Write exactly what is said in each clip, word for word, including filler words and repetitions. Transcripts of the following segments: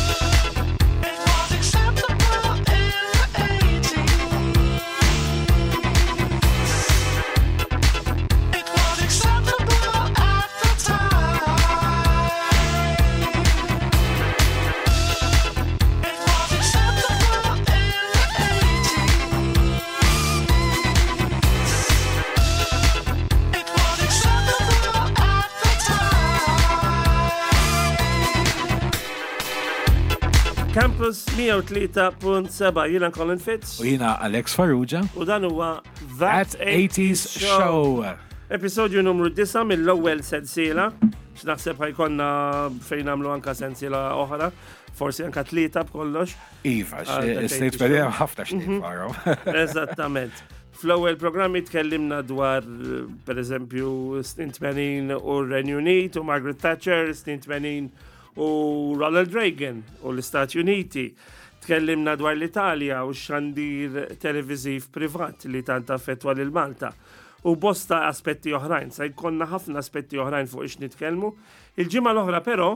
It was acceptable in the eighties. It was acceptable at the time. It was acceptable in the eighties. It was acceptable at the time. Campus mija u tlieta punt seba', jiena Colin Fitz U jiena Alex Farrugia. U dan huwa That eighties Show. Episodju numru disgħa mill-ewwel sensiela. X'naħseb ħa jkollna fejn nagħmlu anka sensiela oħra, forsi anka tlieta b'kollox. Iva, Ah, That snejt eighties pedem Show. ħafna xnejt farrom. Eżattament. Fl-ewwel programmi tkellimna dwar, per eżempju, snin tmenin u r-Renju Unit u Margaret Thatcher, snin tmenin u Ronald Reagan u l-Istati Uniti. Tkellimna dwar l-Italja u xandir televiziv privat li tant affettwa lil Malta. U bosta aspetti oħrajn, sa jkollna ħafna aspetti oħrajn fuq ix nitkellmu. Il-ġimgħa l-oħra però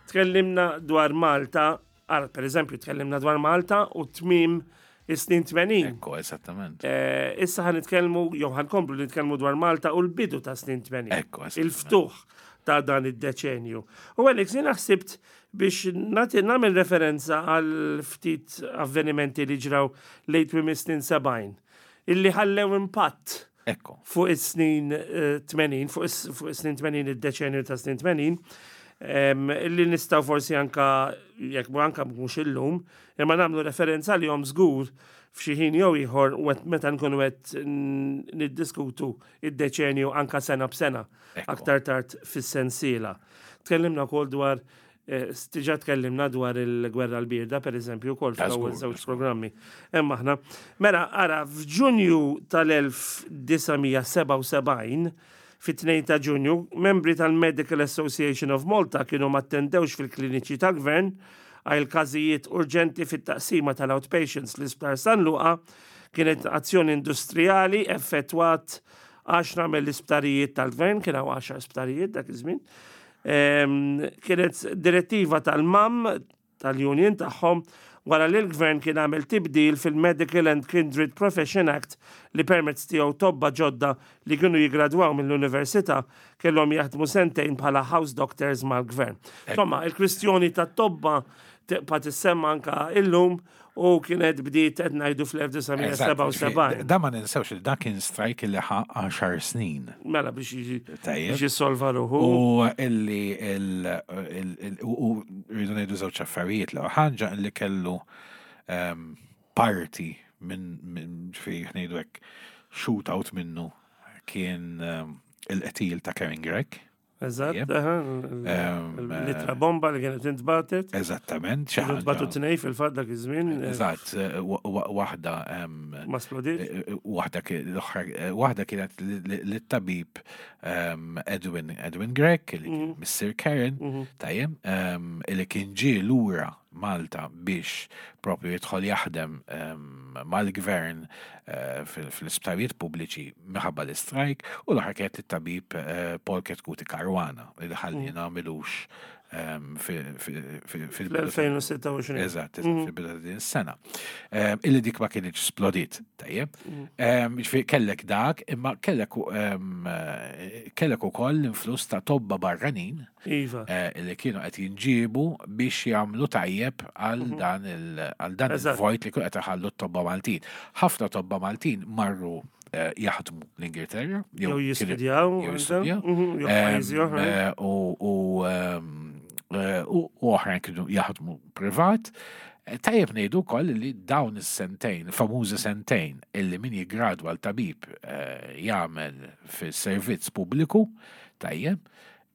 tkellimna dwar Malta, ara, per eżempju, tkellimna dwar Malta u tmim is-snin tmenin. Ekku, eżattament. Eh, Issa ħa nitkellmu, jew ħa nkomplu nitkellmu dwar Malta u l-bidu ta' snin tmenin. Ekku, eżattament. Il-ftuħ ta' dan id-deċenju. U Alex, jina ħsibt biex nagħti nagħmel referenza għal ftit avvenimenti li ġraw lejn tmiem is-snin sebgħin, illi ħallew impatt Ekku. fuq is-snin eh, tmenin, fuq is- fuq is-snin tmenin, id-deċenju ta' snin tmenin, em, illi nistgħu forsi anka, jekk mu anka mhux illum, imma nagħmlu referenza li jom żgur f'xi ħin jew ieħor wet- meta nkunu qed n- niddiskutu id-deċenju anka sena b'sena Ekku. aktar tard fis-sensiela. Tkellimna wkoll dwar eh, diġà tkellimna dwar il-gwerra l-birda, per eżempju, wkoll Ta' fl-ewwel żgur, żewġ ta' żgur. programmi. Imma aħna, mela, ara, f'Ġunju tal-elf disa' mija sebgħa u sebgħin, fit-tnejn ta' Ġunju, membri tal-Medical Association of Malta kienu ma attendewx fil-kliniċi tal-gvern għal każijiet urġenti fit-taqsima tal-outpatients l-Isptar San Luqa. Kienet azzjoni industrijali effettwat għaxra mill-isptarijiet tal-gvern, kien hawn għaxar sptarijiet dak iż-żmien. Em, Kienet direttiva tal-MAM, tal-union tagħhom, wara li l-gvern kien għamel tibdil fil-Medical and Kindred Profession Act li permezz tiegħu tobba ġodda li kienu jigradwaw mill-università kellhom jaħdmu sentejn bħala house doctors mal-gvern. Insomma, il-kwistjoni ta' tobba tibqa' tissemma anka illum u kienet bdiet qed ngħidu fl-elf disa' mija sebgħa u sebgħin. Da ma ninsewx li dak kien strike li ħa għaxar snin. Mela biex jiġi Tajjeb. biex jissolva ruħu. U illi il- il- il- u u rridu ngħidu żewġ affarijiet, l ħaġa illi kellu em, parti minn minn ġifieri ngħidu hekk shootout minnu kien em, il-qtil ta' Karen Grech. Eżatt, Tajjeb. aha, Em, l-ittra bomba li kienet intbatet. Eżattament, xi Kienu ntbatu ħaġa. tnej fil-fatt dak iż-żmien. eh, Eżatt, eh, wa- wa- waħda em, Ma splodiet. eh, waħda ki- l-oħra eh, waħda kienet li- li- lit-tabib em, Edwin Edwin Grech li kien Mister Karen, tajjeb, em, li kien ġie lura Malta biex propju jidħol jaħdem em, mal-gvern eh, fil- fil-isptarijiet pubbliċi minħabba l-istrajk, u l-oħra kienet it-tabib eh, Paul Chetcuti Caruana li ħallina m'ilux em, fi- fi- fi- fil-bidu ta' Fl-elfejn u sitta u għoxrin. Eżatt, eżatt, fil-bidu ta' din is-sena. Em, Illi dik ma kienx splodit, tajjeb. Em, Ġifieri kellek dak, imma kellek u- em, eh, kellek ukoll l-influss ta' tobba barranin Iva. eh, li kienu qed jinġiebu biex jagħmlu tajjeb għal dan il għal dan Eżatt. il-vojt li kienu qed iħallu t-tobba Maltin. Ħafna tobba Maltin marru eh, jaħdmu l-Ingilterra, Jew kienu- jistudjaw. jew anke. jistudjaw. Mhm, Jew Em, pajjiżi oħra. eh, U u, em, eh, u u oħrajn kienu jaħdmu privat. Eh, Tajjeb ngħidu wkoll li dawn is-sentejn, famużi sentejn, illi min jiggradwa l-tabib eh, jagħmel fis-servizz pubbliku, tajjeb,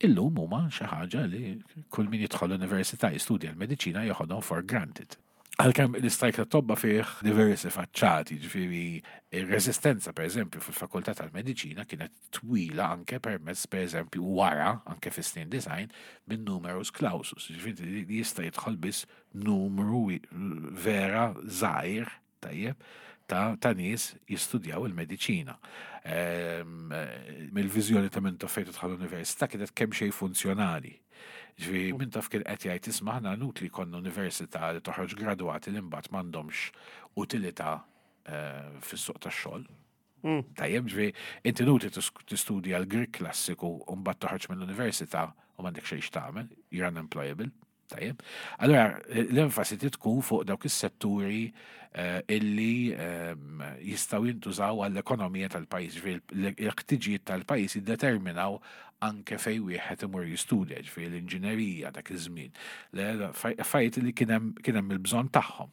illum huma xi ħaġa li kull min jidħol l-università jistudja l-mediċina joħodhom for granted. Għalkemm l-istrajk ta' tobba fih diversi faċċati, ġifieri ir-resistenza, per eżempju, fil-fakultà tal-mediċina kienet twila anke permezz, per eżempju, wara, anke fis-snin disgħin, minn numerus clausus, ġifieri li jista' jidħol biss numru wi- vera żgħir, tajjeb, ta', ta' nies jistudjaw il-mediċina. Ehm, eh, Mill-viżjoni ta' Mintoff fejn tidħol l-università kienet kemm xejn funzjonali. Ġifieri Mintoff kien qed jgħid, "Isma', aħna inutli jkollna università li toħroġ gradwati li mbagħad m'għandhomx utilità eh, fis-suq tax-xogħol." Tajjeb, ġifieri inti inutli tis- tistudja l-Grik klassiku u mbagħad toħroġ mill-università u m'għandek xejn x'tagħmel, you're unemployable. Tajjeb. Allora, l-enfasi tkun fuq dawk is-setturi eh, illi ehm, jistgħu jintużaw għall-ekonomija tal-pajjiż, ġifieri l-ħtiġijiet tal-pajjiż jiddeterminaw anke fej wieħed imur jistudja, ġifieri l-inġinerija dak iż-żmien. Le- Affarijiet li kien hemm kien hemm il-bżonn tagħhom.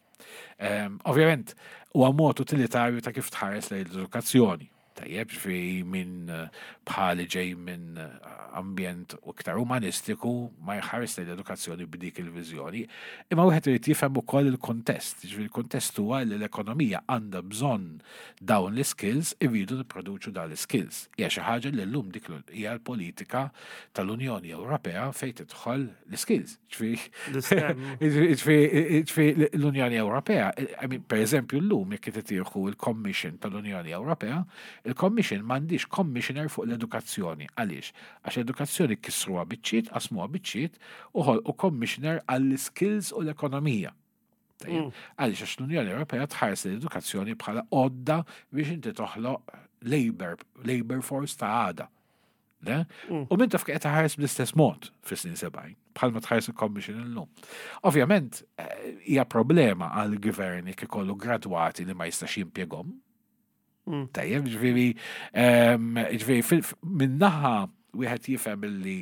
Ehm, Ovvjament, huwa mod utilitarju ta' kif tħares lejn l-edukazzjoni. Tajjeb, ġifieri minn eh, bħali ġej minn eh, ambjent u iktar umanistiku ma jħares lejn l-edukazzjoni b'dik il-viżjoni. Imma wieħed irid jifhem ukoll il-kontest. Ġifieri il-kontest huwa li l-ekonomija għandha bżonn dawn l-skills, irridu nipproduċu dawn l-skills. Hija xi ħaġa li llum dik l- hija l-politika tal-Unjoni Ewropea fejn tidħol l-skills. Ġifieri L-STEM. Ġifieri l-Unjoni Ewropea, I mean, per eżempju, l-lum jekk tieħu il-Commission tal-Unjoni Ewropea, il-Commission m'għandix commissioner fuq l-edukazzjoni. Għaliex? Għax l-edukazzjoni kisruha biċċiet, qasmuha biċċiet u ħolqu commissioner għall-skills u l-ekonomija. Tajjeb. Għaliex? Għax l-Unjoni Ewropea tħares l-edukazzjoni bħala għodda biex inti toħloq labor, labor force ta' għada. Le? U Mintoff qed ħares bl-istess mod fis-snin sebgħin, bħalma tħares il-Commission illum. Ovvjament, eh, hija problema għal gvern jekk ikollu gradwati li ma jistax jimpjegahom. Tajjeb, ġifieri, ehm, ġifieri, fil- min-naħa wieħed jifhem illi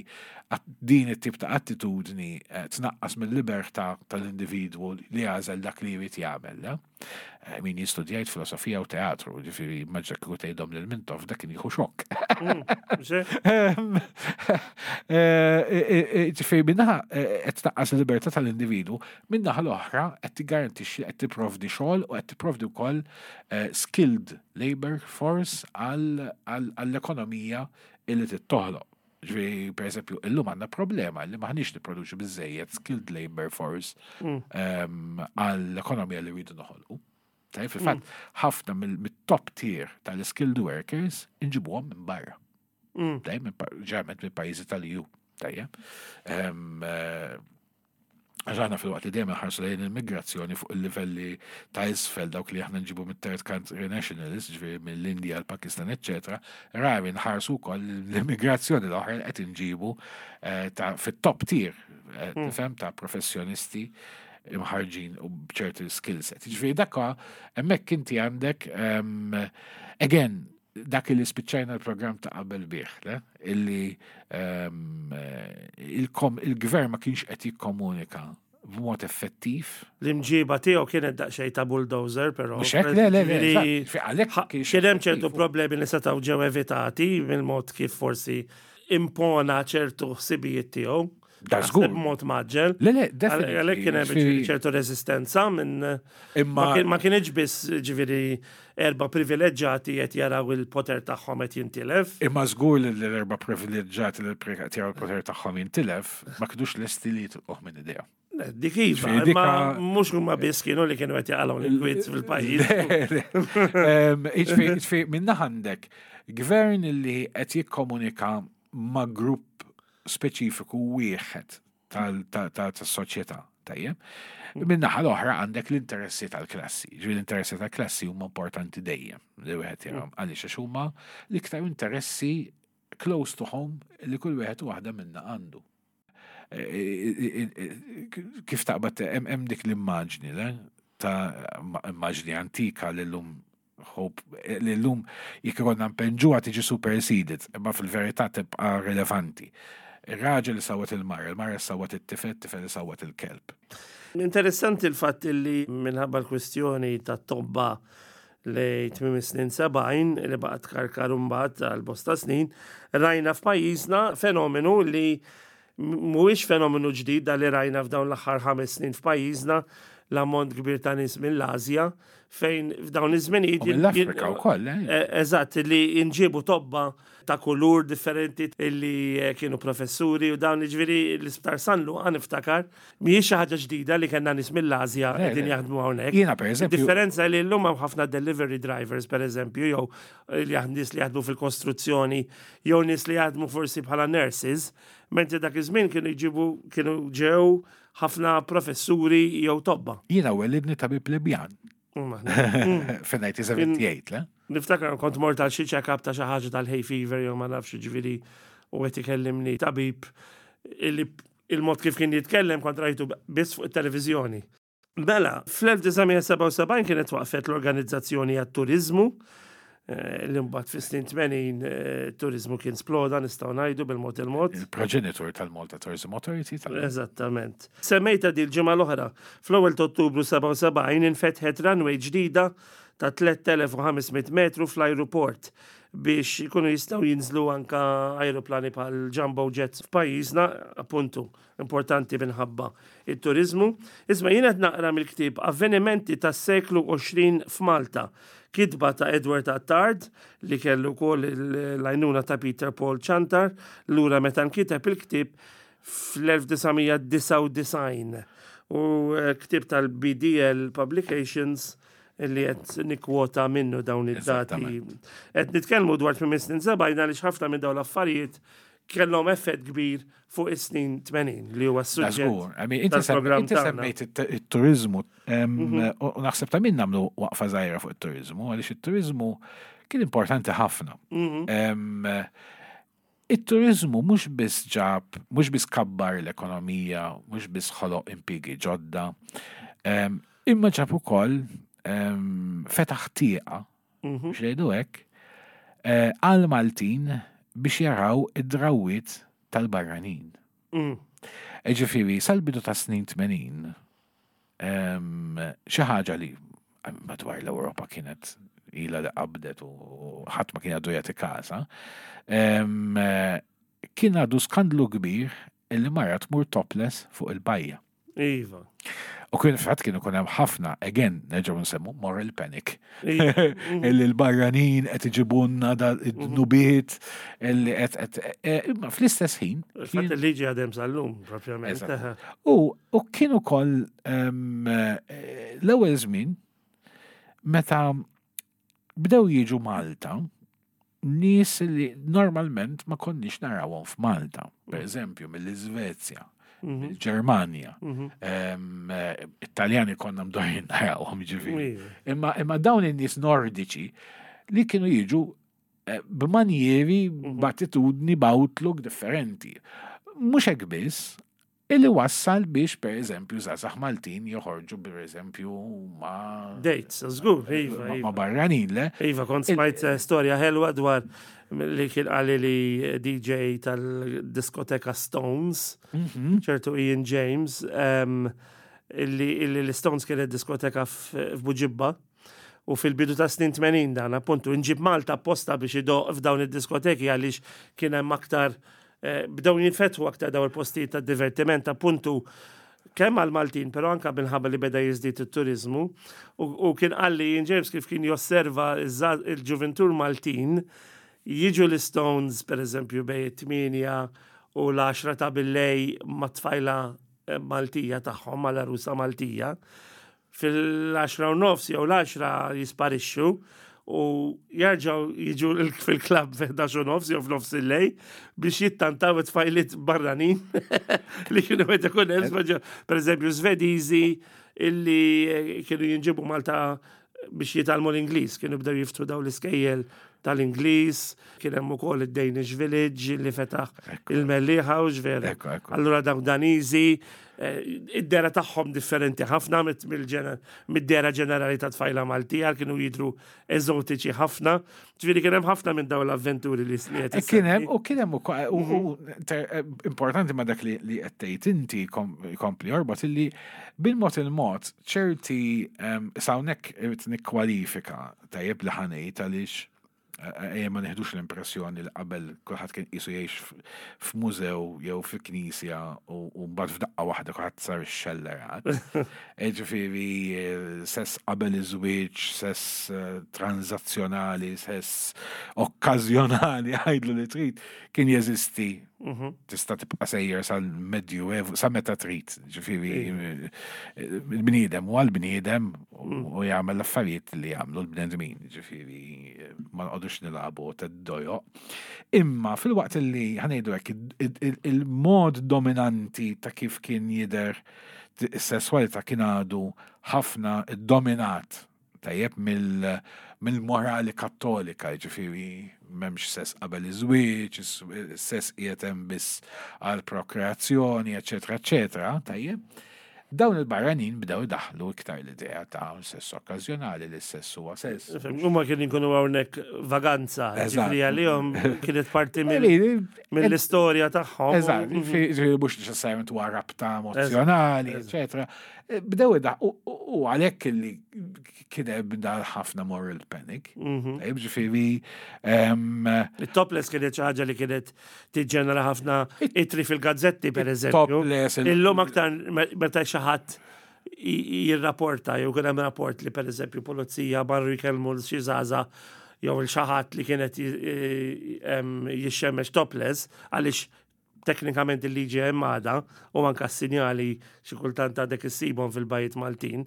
at- din it-tip ta' attitudni eh, tnaqqas mill-libertà tal-individwu li jagħżel dak li jrid jagħmel. Le? Eh, Min jistudjajt filosofija u teatru, ġifieri maġġa kieku tgħidhom lil Mintoff, dak kien jieħu xokk. Mxie? Ehm, eh, eh, eh, Ġifieri min-naħa qed tnaqqas il-libertà tal-individwu, min-naħa l-oħra qed tiggarantixxi qed tipprovdi xogħol u qed tipprovdi wkoll eh, skilled labor force għall- għall- għall-ekonomija illi tittoħloq. Ġifieri, per eżempju, illum għandna problema li m'aħniex nipproduċu biżejjed skilled labor force ehm, għall-ekonomija li rridu noħolqu. Tajjeb, fil-fatt, ħafna mill- mit-top tier tal-skilled workers inġibuhom minn barra. Tajjeb, minn pa- ġeneralment minn pajjiżi tal-E U. Tajjeb. Ehm, eh, Għax aħna fil-waqt li dejjem ħarsu lejn il-migrazzjoni fuq il-livelli ta' isfel, dawk li aħna nġibu mit-third country nationalists, ġifieri mill-Indja, l-Pakistan, eccetera, rari nħarsu wkoll l-immigrazzjoni l-oħra li qed inġibu eh, ta' fit-top tier, eh, tifhem, ta' professjonisti imħarġin u bċerti skill set. Ġifieri dakka hemmhekk inti għandek ehm, again dak li spiċċajna l-programm ta' qabel bih, le? Illi ehm, eh, il-kom- il-gvern ma kienx qed jikkomunika b'mod effettiv. L-imġiba tiegħu kienet daqsxejn ta' bulldozer, però. Mhux hekk? Le, le, le, Ġifieri, eżatt. Fi- għalhekk ħa- kienx Kien hemm ċertu effettiv. problemi li setgħu ġew evitati mill-mod kif forsi impona ċertu ħsibijiet tiegħu. Da Naħseb żgur. b'mod mgħaġġel. Le, le, definitely. Għalhekk kien hemm Ġifieri- ċertu resistenza minn Imma- ma kien- ma kienx biss ġifieri erba' privileġġjati qed jaraw il-poter tagħhom qed jintilef. Imma żgur li l-erba' privileġġjati li qed jaraw il-poter tagħhom jintilef ma kinux lesti li jitilquh minn idea. Dik iva, imma mhux huma biss kienu li kienu qed jaqalgħu l-kwiet fil-pajjiż. Ġifieri minna għandek gvern li qed jikkomunika ma' grupp speċifiku wieħed tas-soċjetà. Tajjeb. Min-naħa l-oħra għandek l-interessi tal-klassi. Ġifieri l-interessi tal-klassi huma importanti dejjem. Li wieħed jarahom għaliex għax huma l-iktar interessi close to home li kull wieħed u waħda minna għandu. Kif taqbad hemm dik l-immaġni, le? Ta' immaġni antika li llum hope li llum jekk ikollna npenġuha tiġi superseded, imma fil-verità tibqa' relevanti. Ir-raġel sawat il-mara, il-mara sawat it-tifel, it-tifel sawat il-kelb. Interessanti l-fatt li minħabba l-kwistjoni ta' tobba li tmiem snin sebgħin li baqgħet karkar mbagħad għal bosta snin, rajna f'pajjiżna fenomenu li mhuwiex fenomenu ġdid da li rajna f'dawn l-aħħar ħames snin f'pajjiżna, l-ammont kbir ta' nies mill-Asja, fejn f'dawn iż-żminijiet. Mill-Afrika wkoll, eh? eh? Eżatt, li nġibu tobba ta' kulur differenti illi eh, kienu professuri u dawn, ġifieri l-Isptar San Luqa niftakar, mhijiex xi ħaġa ġdida li kellna nies mill-Asja qegħdin jaħdmu hawnhekk. Jiena pereżempju. Differenza li llum hawn ħafna delivery drivers, pereżempju, jew li nies li jaħdmu fil-kostruzzjoni, jew nies li jaħdmu forsi bħala nurses, mentri dak iż-żmien kienu jġibu, kienu ġew ħafna professuri jew tobba. Jiena welidni tabib Libjan. Fin-elf disa' mija u sebgħa u sebgħin, le? Niftakar kont mort għal xi check-up ta' xi ħaġa tal-hay fever jew ma nafx, ġifieri, u qed ikellimni tabib illi il-mod kif kien jitkellem kont rajtu biss fuq it-televiżjoni. Mela, fl-elf disa' mija u sebgħa u sebgħin kienet waqfet l-Organizzazzjoni għat-Turizmu, eh, li mbagħad fis-snin tmenin eh, turizmu kien sploda, nistgħu ngħidu, bil-mod il-mod. Il-progenitor tal-Malta Tourism Authority. Tal Eżattament. Semmejta di l-ġimgħa l-oħra, fl-ewwel ta' Ottubru sebgħa u sebgħin infetħet runway ġdida ta' tliet elef u ħames mitt metru fl-aeroport biex ikunu jistgħu jinżlu anka aeroplani bħal jumbo jets f'pajjiżna, appuntu importanti minħabba il-turizmu. Isma', jien qed naqra mill-ktieb Avvenimenti tas-seklu għoxrin f'Malta, kitba ta' Edward Attard li kellu wkoll l-għajnuna ta' Peter Paul Ciantar lura meta nkiteb il-ktieb fl-elf disa' mija disgħa u disgħin u eh, ktieb tal-B D L Publications li qed nikkwota minnu dawn id-dati. Qed nitkellmu dwar tmiem snin sebgħin għaliex ħafna minn dawn l-affarijiet kellhom effett kbir fuq is-snin tmenin li huwa s-suġġett tal-programm. Inti semmejt it-turizmu mhm. u naħseb ta' min nagħmlu waqfa żgħira fuq it-turizmu, għaliex it-turizmu kien importanti ħafna. Mhm. Il-turizmu mhux biss ġab, mhux biss kabbar l-ekonomija, mhux biss ħoloq impjiegi ġodda, imma ġab ukoll fetaħ tieqa, mhm. biex ngħidu hekk, eh, għal Maltin biex jaraw id-drawiet tal-barranin. Mm. Ġifieri, sal-bidu ta' snin tmenin, xi ħaġa li madwar l-Ewropa kienet ila li qabdet u ħadd ma kien għadu jagħti kasa, kien għadu skandlu kbir illi mara tmur topless fuq il-bajja. Iva. U kien fatt kien ikun hemm ħafna, again, nerġgħu nsemmu moral panic. Iva. Illi l-barranin qed iġibunna da id-dnubiet, illi qed qed e, imma fl-istess ħin. Fatt il-liġi għadem sal-lum, propjament. U u kien ukoll em, eh, l-ewwel żmien meta bdew jiġu Malta nies li normalment ma konniex narawhom f'Malta, per eżempju mill-Iżvezja, mill-Ġermanja, em, eh, Italjani konna mdorrijin narawhom, ġifieri. Iva. Imma, imma dawn in-nies nordiċi li kienu jiġu eh, b'manjeri, b'attitudni, b'outlook differenti. Mhux hekk biss, illi wassal biex per eżempju żgħażagħ Maltin joħorġu per eżempju ma' Dates, żgur, iva, ma' ma' iva. barranin, le? Iva, kont smajt eh, storja ħelwa dwar li kien qali li D J tal-diskoteka Stones, ċertu Ian James, em, illi illi l-Stones kienet diskoteka f- f'Buġibba. U fil-bidu ta' snin tmenin dan, appuntu, inġib Malta apposta biex idoq f'dawn id-diskoteki għaliex kien hemm aktar eh, bdew jinfetħu aktar dawn il-postijiet ta' divertiment, appuntu, kemm għal Maltin, pero anka minħabba li beda jiżdied it-turizmu. U, u kien qalli Ian James kif kien josserva iż-ża- il-ġuventur Maltin jiġu l-Stones, per eżempju, bejn it-tmienja u l-għaxra ta' billejl ma' tfajla eh, Maltija tagħhom, mal-arusa Maltija, fil-għaxra u nofs jew l-għaxra jisparixxu u jerġgħu jiġu l- fil-klabb fil-ħdax u nofs jew f'nofs il-lejl biex jittantaw it-tfajliet barranin li kienu qed ikun hemm speċa- per eżempju Svediżi illi eh, kienu jinġibu Malta biex jitgħallmu l-Ingliż, kienu bdew jiftħu daw l-iskejjel tal-Ingliż, kien hemm ukoll id-Danish Village li fetaħ il-Mellieħa u ġveru. Ekku, ekku. Allura dawn Daniżi, eh, id-dehra tagħhom differenti ħafna mit- mill-ġener- mid-dehra ġenerali ta' tfajla Maltija, kienu jidru eżotiċi ħafna. Ġifieri kien hemm ħafna minn dawn l-avventuri li sniet. E kien hemm u kien hemm ukoll u u ter- eh, importanti ma dak li li qed tgħid inti kom- kompli jorbot illi bil-mod il-mod ċerti em, s'hawnhekk irid nikkwalifika tajjeb li ħa ngħid għaliex eh, ejja ma neħdux l-impressjoni li qabel kulħadd kien qisu jgħix f- f'mużew jew fi knisja u u mbagħad f'daqqa waħda kulħadd sar ix-xellerat. Ġifieri eh, sess qabel iż-żwieġ, sess eh, transazzjonali, sess okkażjonali, għajdlu li trid, kien jeżisti. Tista' tibqa' sejjer sal-Medjuevu, sa meta trid. Ġifieri eh, il-bniedem huwa l-bniedem u u jagħmel l-affarijiet li jagħmlu l-bnedmin. Ġifieri eh, ma nqogħdux nilagħbu tad-dojo. Imma fil-waqt li ħa ngħidu hekk il- il- il-mod dominanti ta' kif kien jidher is-sesswalità kien għadu ħafna dominat tajjeb mill- mill-morali kattolika, ġifieri m'hemmx sess qabel iż-żwieġ, is-sess qiegħed hemm biss għal prokreazzjoni, eċetera, eċetera, tajjeb. Dawn il-barranin bdew idaħlu iktar l-idea ta' sess okkażjonali li s-sess huwa sess. Huma kienu jkunu hawnhekk vaganza, Eżatt. ġifieri għalihom kienet parti mill- Mill- mill-istorja tagħhom. Eżatt, ġifieri mhux neċessarjament huwa rabta emozjonali, eċetera. Bdew ida u u għalhekk li kien hemm dan ħafna moral panic. Tajjeb, ġifieri em, Il-topless kienet xi ħaġa li kienet tiġġenera ħafna itri fil-gazzetti, per eżempju. Topless, il- Illum aktar me- meta xi ħadd i- jirrapporta jew kien hemm rapport li per eżempju pulizija marru jkellmu l xi żgħażagħ jew il xi ħadd li kienet j- em, jixxemmex topless għaliex teknikament il-liġi hemm għadha u anka s-sinjali xi kultant għadek issibhom fil-bajjiet Maltin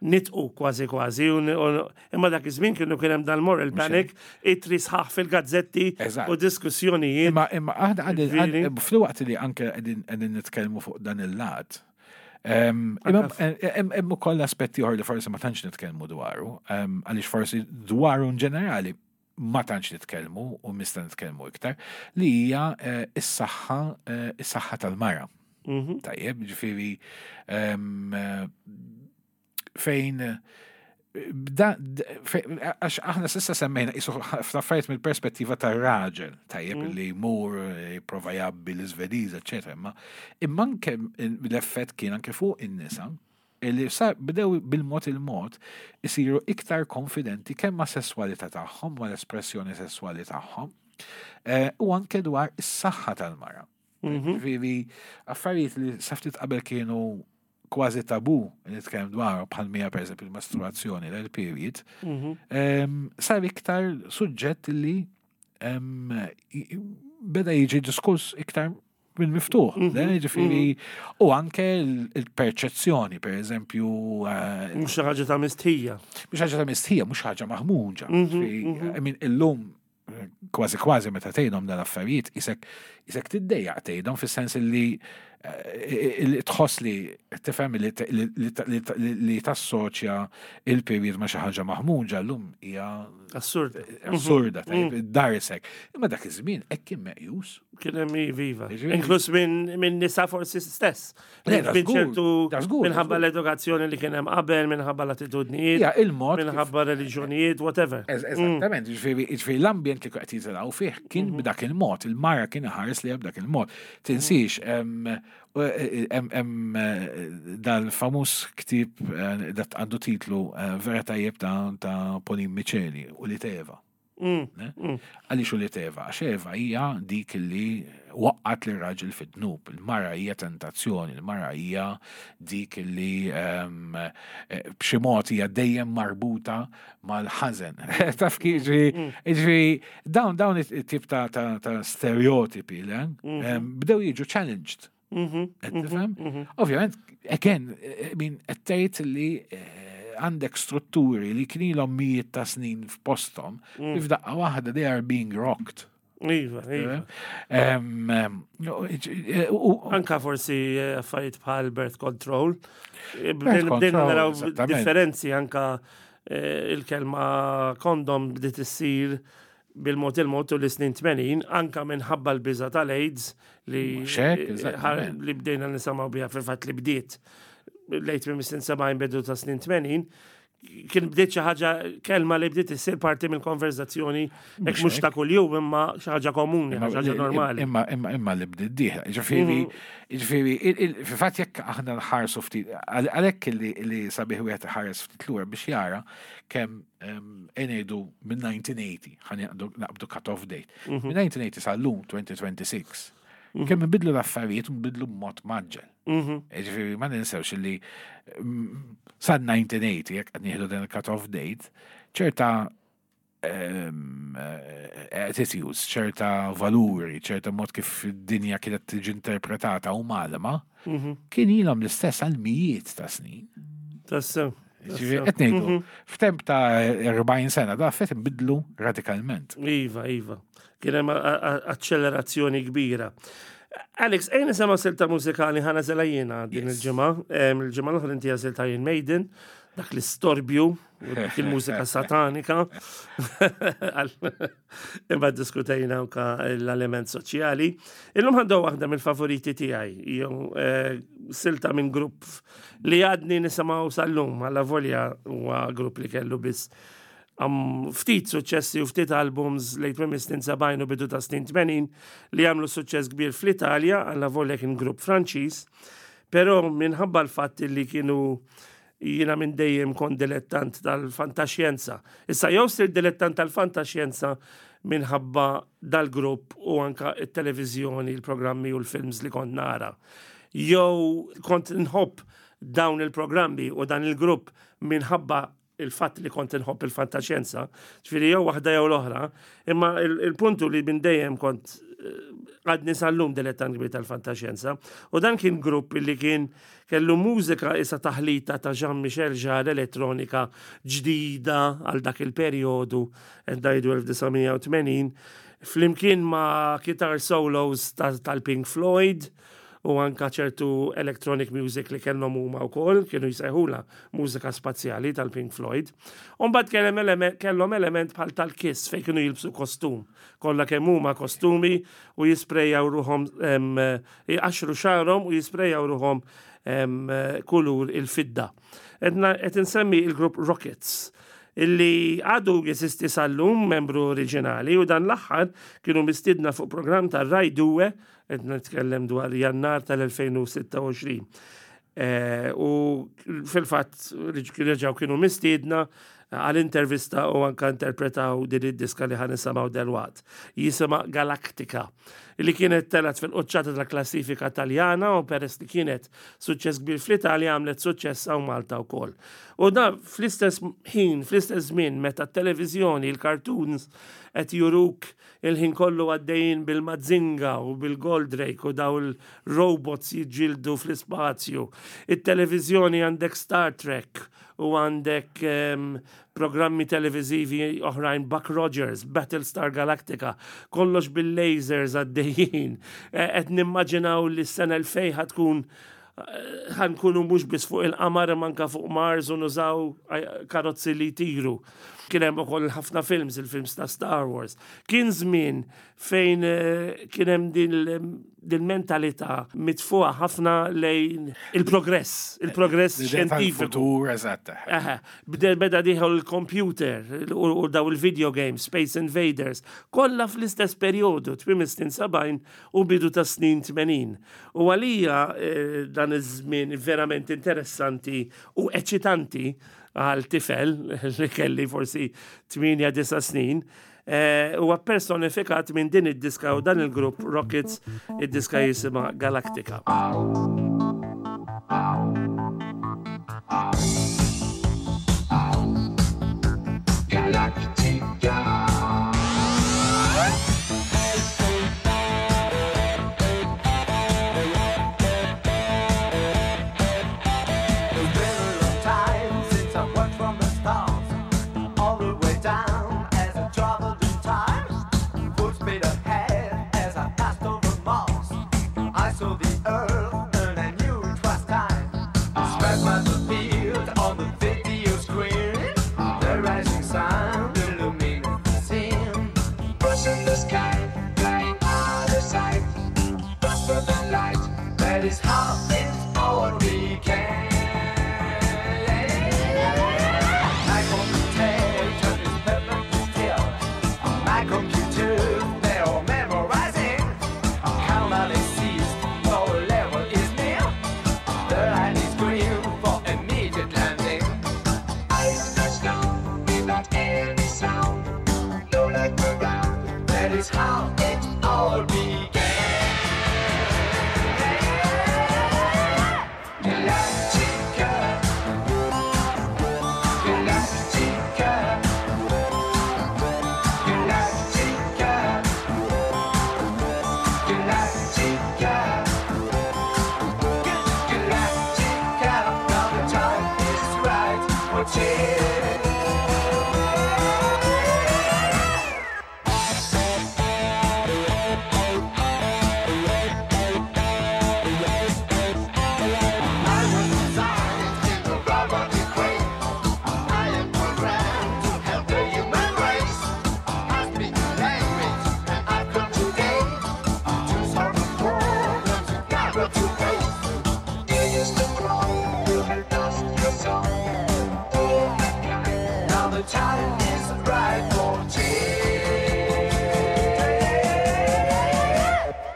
nitqu kważi kważi, u- u- imma dak iż-żmien kienu kien hemm dal-moral panic, itri sħaħ fil-gazzetti Eżatt. u diskussjonijiet. Imma imma aħna għadin Ġifieri? fil-waqt li anke qegħdin qegħdin nitkellmu fuq dan il-lat. em, Imma hemm hemm ukoll aspetti oħra li forsi ma tantx nitkellmu dwaru, em, għaliex forsi dwaru in ġenerali ma tantx nitkellmu u nista' nitkellmu iktar, li hija eh, is-saħħa eh, is-saħħa tal-mara. Mhm. Tajjeb, ġifieri em, eh, fejn eh, bda, d- fe- għax aħna s'issa semmejna qisu f'affarijiet mill-perspettiva tar-raġel, tajjeb li jmur, eh, jipprova jgħabbi l-Iżvediż, eċetera, imma imma anke l-effett kien anke fuq in-nisa li sa bdew bil-mod il-mod isiru iktar konfidenti kemm ma' sesswalità tagħhom, ma' l-espressjoni sesswali tagħhom, eh, u anke dwar is-saħħa tal-mara. Ġifieri, affarijiet li sa ftit qabel kienu kważi tabu nitkellem dwar bħal mija per eżempju il-masturbazzjoni l-period, em, sar iktar suġġett li em, i- beda jiġi diskuss iktar minn miftuħ. Le, Ġifieri, u anke l- il-perċezzjoni, per eżempju, eh, Mhux xi ħaġa ta' mistħija. mhux ħaġa ta' mistħija, mhux ħaġa maħmuġa. Ġifieri, I mean, illum eh, kważi kważi meta tgħidhom dan l-affarijiet isek isek tiddejjaq tgħidhom fis-sens li eh, li tħoss li tifhem li li- li- li li tassoċja il-period ma' xi ħaġa maħmuġa llum hija Assurd. assurda tajjeb darsek. Imma dak iż-żmien hekk kien meqjus. Kien hemm viva. Ġifieri- Inkluż minn minn nisa forsi stess. Le, da Minn żgur, ċertu da żgur, da minħabba żgur. l-edukazzjoni li kien hemm qabel, minħabba l-attitudnijiet, Hija il-mod kif- minħabba reliġjonijiet, whatever. Ez- Eżattament, ġifieri ġifieri l-ambjent li qed jitilgħu fih kien b'dak il-mod, il-mara kien iħares li b'dak il-mod. Tinsix, em, hemm hemm, eh, dal-famuż ktieb eh, dat għandu titlu eh, vera tajjeb ta' ta' Pauline Miceli u li Eva. Mm. Ne? Għaliex u li Eva? Għax Eva hija dik li waqqat li raġel fid-dnub. Il-mara hija tentazzjoni, il-mara hija dik li em, eh, b'xi mod hija dejjem marbuta mal-ħażen. Taf kif ġifieri, ġifieri, dawn dawn it-tip ta' ta' ta' stereotipi, le? Em, bdew jiġu challenged. Qed tifhem? Ovvjament, again, I mean, qed tgħid li eh, għandek strutturi li kien ilhom mijiet ta' snin f'posthom, li f'daqqa waħda they are being rocked. Iva, iva. Em, em, u- u- Anka forsi eh, affarijiet bħal birth control. Eh, Birth Bdejna bdejna control, naraw eżattament. differenzi anka eh, il-kelma kondom bdiet issir bil-mod il-mod u l-snin tmenin, anka minħabba l-biża tal-AIDS li Mhux hekk, eh, eżattament. li bdejna nisimgħu biha, fil-fatt li bdiet lejt minn snin sebgħin, bidu ta' snin tmenin, kien bdiet xi ħaġa, kelma li bdiet issir parti mill-konverzazzjoni, hekk mhux ta' kuljum imma xi ħaġa komuni, Imma- xi ħaġa normali. Imma imma imma li bdiet dieħla. Ġifieri, ġifieri, il- il- fil-fatt jekk aħna nħarsu ftit, għal- għalhekk li li sabiħ wieħed iħares ftit lura biex jara kemm em, ngħidu minn elf disa' mija u tmenin, ħa naqbdu cut-off date. Minn elf disa' mija u tmenin sal-lum elfejn u sitta u għoxrin, kemm nbidlu l-affarijiet u nbidlu b'mod mgħaġġel. Ġifieri ma ninsewx li mm, sa elf disa' mija u tmenin, jekk qed nieħdu din il-cut-off date, ċerta em, eh, attitudes, ċerta valuri, ċerta mod kif id-dinja kienet tiġi interpretata u malma, kien ilhom l-istess għal mijiet ta' snin. Tassew. Ġifieri, qed ngħidu, f'temp ta' erbgħin sena da fet inbidlu radikalment. Iva, iva. Kien hemm a- a- accelerazzjoni kbira. Alex, ejja nisimgħu silta mużikali, ħa nagħżilha jiena din Yes. il-ġimgħa. Em, Il-ġimgħa l-oħra inti għażilt Iron Maiden, dak l-istorbju, u dik il-mużika satanika. Għal- Imma diskutejna anka l-element soċjali. Illum għandu waħda mill-favoriti tiegħi, jew eh, silta minn grupp li għadni nisimgħu sal-lum, għalla volja huwa grupp li kellu biss għam ftit suċċessi u ftit albums lejn tmiem snin sebgħin u bidu ta' snin tmenin li għamlu suċċess kbir fl-Italja, għalla volja kien grupp Franċiż, però minħabba l-fatt li kienu, jiena minn dejjem kont dilettant tal-fantaxjenza. Issa jew sir dilettant tal-fantaxjenza minħabba dal-grupp u anka il-televizjoni, il-programmi u l-films li kont nara. Jew kont nħobb dawn il-programmi u dan il-grupp minħabba il-fatt li kont nħobb il-fantaxjenza, ġifieri jew waħda jew l-oħra, imma il- il-puntu li minn dejjem kont eh, għadni sal-lum dilettant kbir tal-fantaxjenza, u dan kien grupp li kien kellu mużika isa taħlita ta' Jean-Michel Jarre, elettronika ġdida għal dak il-periodu, ngħidu elf disa' mija u tmenin, flimkien ma' guitar solos ta- tal-Pink Floyd, u anka ċertu electronic music li kellhom huma wkoll, kienu jsejħula mużika spazjali tal-Pink Floyd. Umbagħad kellhom element, kellhom element bħal tal-Kiss fejn kienu jilbsu kostum. Kollha kemm huma kostumi u jisprejjaw ruħhom, em, jqaxxru xagħarhom u jisprejjaw ruħhom em, kulur il-fidda. Edna qed insemmi il-grupp Rockets illi għadu jeżisti sal-lum, membru oriġinali, u dan l-aħħar kienu mistidna fuq program ta' Rai Due, qed nitkellem dwar Jannar tal-elfejn u sitta u għoxrin. Eh, u fil-fatt reġgħu kienu mistiedna għal-intervista u anka interpretaw din id-diska li ħa nisimgħu delwaqt. Jisimha Galactica, li kienet telgħet fil-quċċata tal-klassifika taljana u peress li kienet suċċess kbir fl-Italja għamlet suċċess hawn Malta wkoll. U da fl-istess ħin, fl-istess żmien meta t-televiżjoni, il-cartoons qed juruk il-ħin kollu għaddejjin bil-Mazinga u bil-Goldrake u daw il-robots jiġġieldu fl-ispazju. Il-televiżjoni għandek Star Trek u għandek um, programmi televizivi oħrajn, Buck Rogers, Battlestar Galactica, kollox bil-lasers għaddejjin. Eh, Qed nimmaġinaw li s-sena elfejn ħa tkun ħa nkunu mhux biss fuq il-qamar manka fuq Mars u nużaw eh, karozzi li jtiru. Kien hemm ukoll ħafna films, il-films ta' Star Wars. Kien żmien fejn eh, kien hemm din din mentalità mitfuqa ħafna lejn il-progress, il-progress L-idea xjentifiku. tal-futur, eżatt. Aha, bde beda dieħel il-computer u u daw il-video games, Space Invaders, kollha fl-istess periodu, tmiem is-snin sebgħin u bidu ta' snin tmenin. U għalija eh, dan iż-żmien verament interessanti u eċitanti għal tifel li kelli forsi tmienja disa' snin, eh, huwa personifikat minn din id-diska u dan il-grupp Rockets, id-diska jisimha Galactica. Galactica. That is how it all began. My computer is perfectly still. My computer, they are memorizing. Countdown is ceased, no level is near. The line is green for immediate landing. I touch down without any sound. No light around. That is how it all began. Galactica, Galactica, Galactica, Galactica, Galactica. Now the time is right for change. I was designed in the robotic way. I am programmed to help the human race. I speak language and I've come today to solve the problems you never to face. You used to crawl, you had lost your soul. To mankind. Now the time is right for change.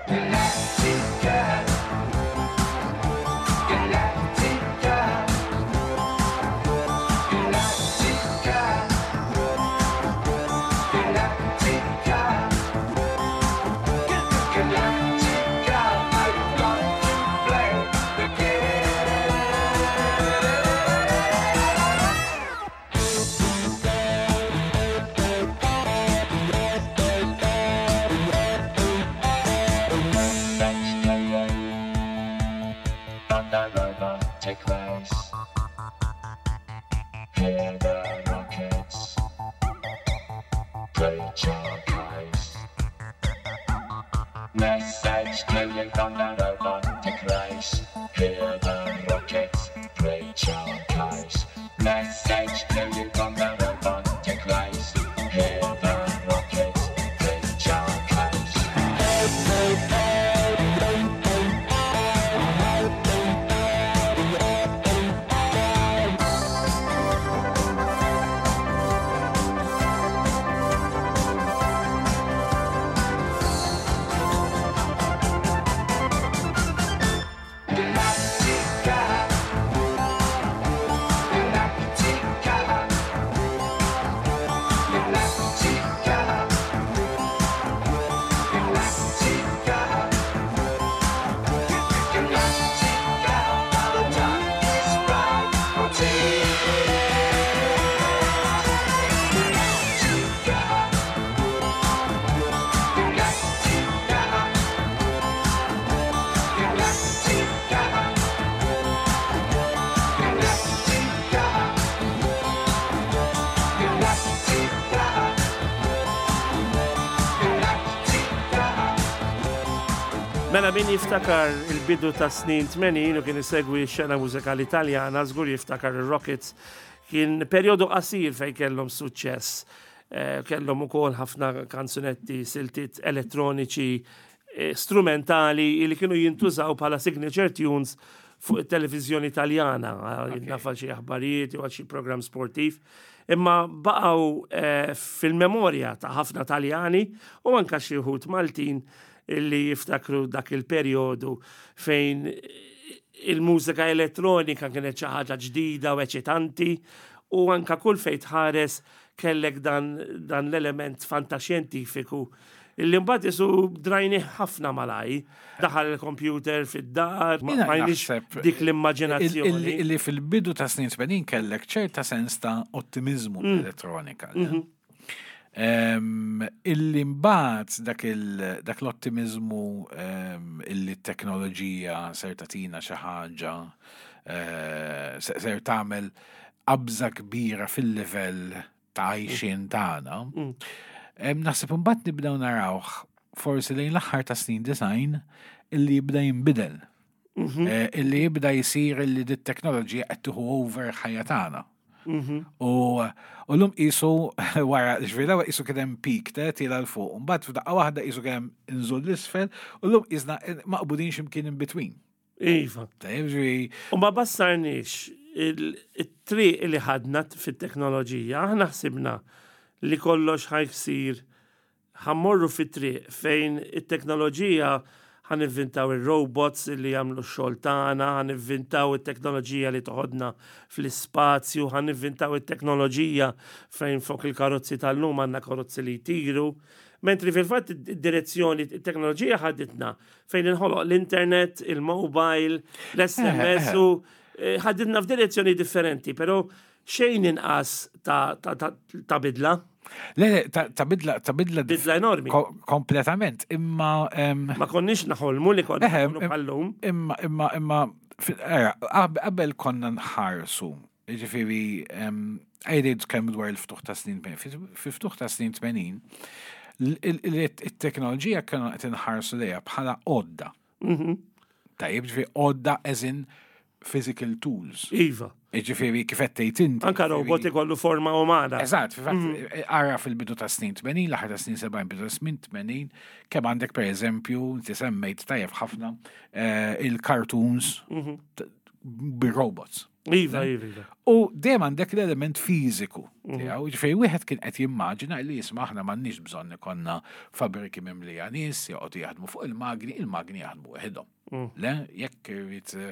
Galactica, Galactica, Galactica, Galactica, Galactica. Are you going to play the game? French player on the robotic race. Hear the rockets, preach your case. Message to you from the robotic race. Hear the rockets, preach your case. Message to you from the robotic race. Hear the rockets, preach your case. Galactica, Galactica, Galactica, Galactica, Galactica. Now the time is right for change. Galactica, Galactica, Galactica. Galactica, Galactica, Galactica. Mela min jiftakar il-bidu ta' snin tmenin u kien isegwi x-xena mużikali Italjana, żgur jiftakar il-Rockets. Kien perjodu qasir fejn kellhom suċċess. Eh, kellhom ukoll ħafna kanzunetti, siltiet elettroniċi, eh, strumentali li kienu jintużaw bħala signature tunes fuq it-televiżjoni Italjana, naf għal xi aħbarijiet jew għal xi programm sportiv. Imma baqgħu eh, fil-memorja ta' ħafna Taljani u anka xi wħud Maltin illi jiftakru dak il-perjodu fejn il-mużika elettronika kienet xi ħaġa ġdida u eċitanti u anka kull fejn tħares kellek dan, dan l-element fantaxjentifiku illi mbagħad isu drajni ħafna malaj. Daħal il-computer fid-dar, ma Jiena bqajniex naħseb dik l-immaġinazzjoni. Illi illi fil-bidu ta' snin tmenin kellek ċerta sens ta' ottimizmu Mm. elettronika. Mhm. Em, Illi mbagħad dak il- dak l-ottimizmu em, illi t-teknoloġija ser tagħtina xi ħaġa eh, se- ser tagħmel qabża kbira fil-livell ta' għajxien tagħna. Mm. Em, Naħseb imbagħad nibdew narawh forsi lejn l-aħħar ta' snin disgħin illi jibda jinbidel. Mhm. Eh, Illi jibda jisir illi dit teknoloġija qed tieħu over ħajja tagħna. Mhm. U u l-lum qisu wara, ġifieri l-ewwel qisu kien hemm peak te tiela 'l fuq, mbagħad f'daqqa waħda qisu kien hemm inżul l-isfel, u l-lum qisna maqbudin x'imkien in between. Iva. Tajjeb, ġifieri, U ma bassarniex il-triq li ħadna fit-teknoloġija, aħna ħsibna li kollox ħa jsir ħa mmorru fit-triq fejn it-teknoloġija ħa nivvintaw il-robots li jagħmlu x-xogħol tagħna, ħa nivvintaw it-teknoloġija li toħodna fl-ispazju, ħa nivvintaw it-teknoloġija fejn fuq il-karozzi tal-lum għandna karozzi li jtiru. Mentri fil-fatt id-direzzjoni, it-teknoloġija ħaditna fejn inħoloq l-internet, il-mobile, l-S M S u eh, ħaditna f'direzzjoni differenti, pero xejn inqas ta', ta, ta, ta' bidla, Le, le, ta' ta' bidla, ta' bidla bidla enormi. ko- kompletament, imma em, Ma konniex naħolmu li konna Eħe, nkunu bħallum. imma imma imma fi- era, qab- qabel konna nħarsu, ġifieri, għajdejt kemm dwar il-ftuħ ta' snin tmenin. Fil-ftuħ ta' snin tmenin, l- il- il- it-teknoloġija kienu qed inħarsu lejha bħala għodda. Mhm. Tajjeb, ġifieri għodda as in physical tools. Iva. Ġifieri kif qed tgħid inti. Anka ġifieri- robot ikollu forma umana. Eżatt, fil-fatt, ara fil-bidu ta' snin tmenin, l-aħħar ta' snin sebgħin, bidu ta' snin tmenin, kemm għandek per eżempju, inti semmejt tajjeb ħafna, eh, il-cartoons t- bir-robots. Iva, iva, iva. U dejjem għandek l-element fiżiku tiegħu, ġifieri wieħed kien qed jimmaġina li jisma' aħna m'għandniex bżonn ikollna fabriki mimlija nies joqogħdu jaħdmu fuq il-magni, il-magni jaħdmu waħedhom. Le, jekk irid eh,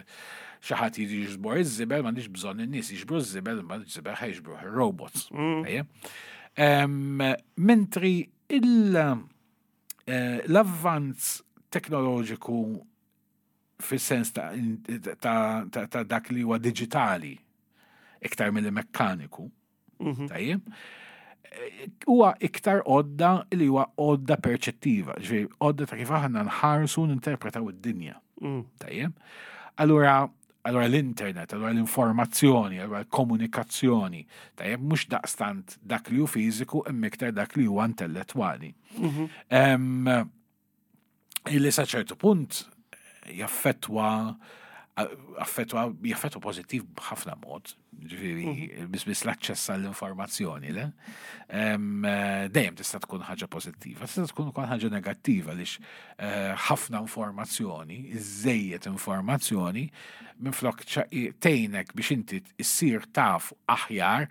xi ħadd jiġi jiġbor iż-żibel, m'għandix bżonn in-nies jiġbru ż-żibel, imma ż-żibel ħa jiġbruh ir-robots. Ejja. Em, Mentri il- eh, l-avvanz teknoloġiku fis-sens ta', ta, ta, ta' dak li huwa diġitali iktar mill mekkaniku, tajjeb, eh, huwa iktar għodda li huwa għodda perċettiva, ġifieri għodda ta' kif aħna nħarsu ninterpretaw id-dinja. Mm. Tajjeb. Allura, allura l-internet, allura l-informazzjoni, allura l-komunikazzjoni, tajjeb, mhux daqstant dak li hu fiżiku imma iktar dak li huwa intellettwali. Em, Illi sa ċertu punt jaffetwa affettwa jaffettwa pożittiv b'ħafna mod, ġifieri biss biss l-aċċess għall-informazzjoni, le? Em, eh, Dejjem tista' tkun ħaġa pożittiva, tista' tkun ukoll ħaġa negattiva għaliex eh, ħafna informazzjoni, iżejjed informazzjoni, minflok ċa- tgħinek biex inti issir taf aħjar,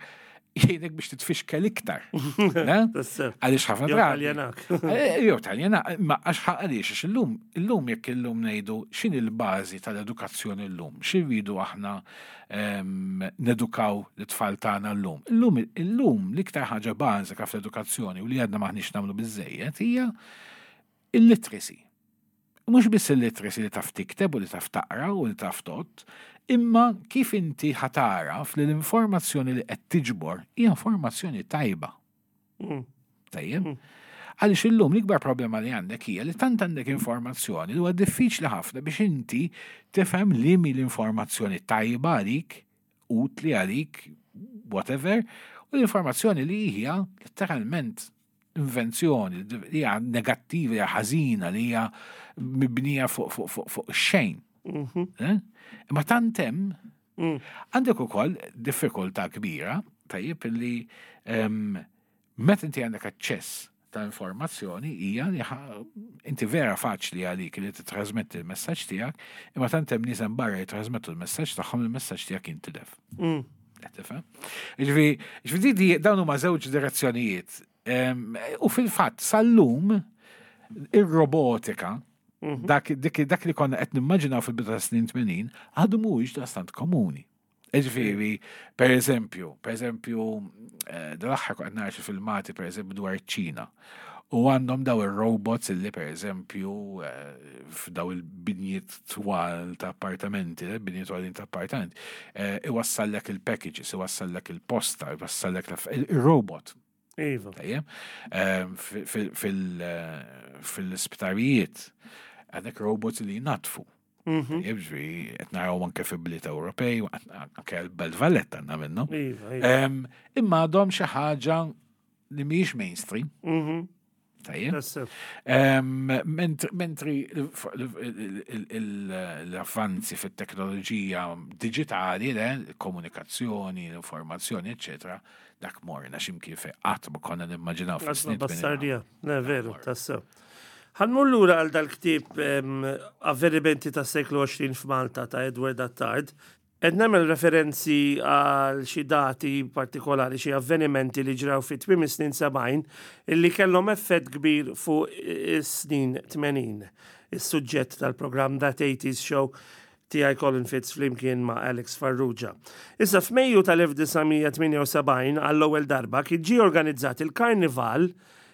jgħinek biex titfixkel iktar. Le? Tassew. Għaliex ħafna Jew drabi. taljenak. Eh, Jew taljena, ma għax ħa- għaliex, għax illum, illum jekk illum ngħidu x'inhi l-bażi tal-edukazzjoni llum, x'irridu aħna em, nedukaw l-tfal tagħna llum. Illum illum l-iktar ħaġa bażika fl-edukazzjoni u li għadna maħniex nagħmlu biżejjed hija il-literacy. Mhux biss il-literacy li taf tikteb u li taf taqra u li taf tgħodd, imma kif inti ħa tagħraf li l-informazzjoni li qed tiġbor hija informazzjoni tajba. Mm. Tajjeb? Għaliex illum l-ikbar problema li għandek hija li tant għandek informazzjoni li huwa diffiċli ħafna biex inti tifhem li mi l-informazzjoni tajba għalik, utli għalik, whatever, u l-informazzjoni li hija letteralment invenzjoni, li hija negattiva, hija ħażina, li hija mibnija fuq fuq fuq fuq xejn. Mhm. Eh? Imma tant hemm Mm. għandek ukoll diffikultà kbira, tajjeb li em, meta inti għandek aċċess ta' informazzjoni hija li ħa- inti vera faċli għalik li titrasmetti l-messaġġ tiegħek, imma tant hemm nies hemm barra jitrasmettu l-messaġġ tagħhom, il-messaġġ tiegħek jintilef. Mm. Qed tifhem? Ġifieri, ġifieri di dawn huma żewġ direzzjonijiet. Em, U fil-fatt sal-lum ir-robotika dak, dik, dak li konna qed nimmaġinaw fil-bidu ta' snin tmenin għadu mhuwiex daqstant komuni. Ġifieri, per eżempju, per eżempju, eh, dal-aħħar kont nara xi filmati per eżempju dwar ċ-Ċina. U għandhom daw il-robots illi per eżempju eh, f'daw il-binjiet twal ta' appartamenti, eh, binjiet twalin ta' appartamenti, eh, iwassallek il-packages, iwassallek il-posta, iwassallek l- il-robot. Iva. Tajjeb, Ehm, fi- fil- fil- eh, fil-isptarijiet għandek robots li jnatfu. Mhm. Tajjeb, ġifieri, qed naraw anke fi bliet Ewropej, anke l-Belt Valletta għandna minnhom. Iva, iva. Ehm, Imma għadhom xi ħaġa li mhijiex mainstream, Mhm. tajjeb. Tassew. Ehm, mentri- Mentri l-avvanzi fit-teknoloġija digitali, le, komunikazzjoni, l-informazzjoni, eccetera, dak morna x'imkien fejn qatt ma konna nimmaġinaw Għasma fis-snin tmenin. bastardija. Ne, veru, tassew. Ħa mmur lura għal dal-ktieb em, Avvenimenti tas-seklu għoxrin f'Malta ta' Edward Attard. Qed nagħmel referenzi għal xi dati partikolari, xi avvenimenti li ġraw fi tmiem is-snin sebgħin illi kellhom effett kbir fuq is-snin tmenin. Is-suġġett tal-programm That eighties Show tiegħi, Colin Fitz, flimkien ma' Alex Farrugia. Issa, f'Mejju tal-elf disa' mija tmienja u sebgħin għall-ewwel darba kien ġie organizzat il-Karnival,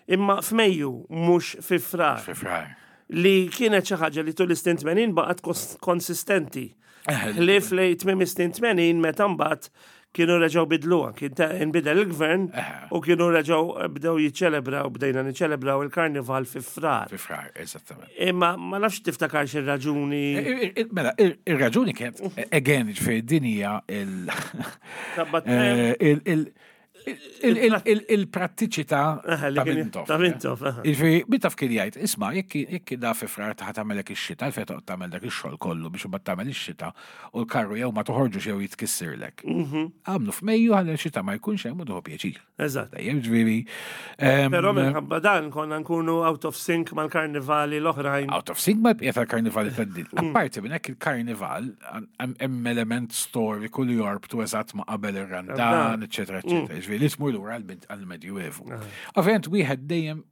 imma f'Mejju, mhux fi Frar. Fi Frar. Li kienet xi ħaġa li tul is-snin tmenin baqgħet kos- konsistenti. Ħlief li tmiem is-snin tmenin, meta mbagħad kienu reġgħu bidluha, kien ta' inbidel il-gvern u kienu reġgħu bdew jiċċelebraw, bdejna niċċelebraw il-Karnival fi Frar. Fi Frar, eżattament. Imma ma nafx tiftakar xi raġuni. I- i- Mela, il- il-raġuni kienet, again, ġifieri din hija il- Tabbat- eh, il- il- il- il- il- il-prattiċità Aha, li ta' kien- Mintoff. ta' Mintoff, aha. Ġifieri, Mintoff kien jgħid, isma', jekk jekk da fi Frar taħt tagħmelek ix-xita, għalfejn toqgħod tagħmel dak ix-xogħol kollu biex imbagħad tagħmel ix-xita u l-karru jew ma toħorġux jew jitkissirlek? Għamlu f'Mejju ħalli x-xita ma jkunx hemm u tieħu pjaċir. Eżatt. Dejjem ġifieri. Em, Però minħabba dan konna nkunu out of sync mal-karnivali l-oħrajn. Out of sync mal-bqija tal-karnivali tad-din. Apparti minn hekk, il-karnival hemm element storiku li jorbtu eżatt ma' qabel ir-Randan, eċetera, eċetera. Ġifieri li tmur lura għall- għall-Medjuevu. Ovvjament wieħed dejjem,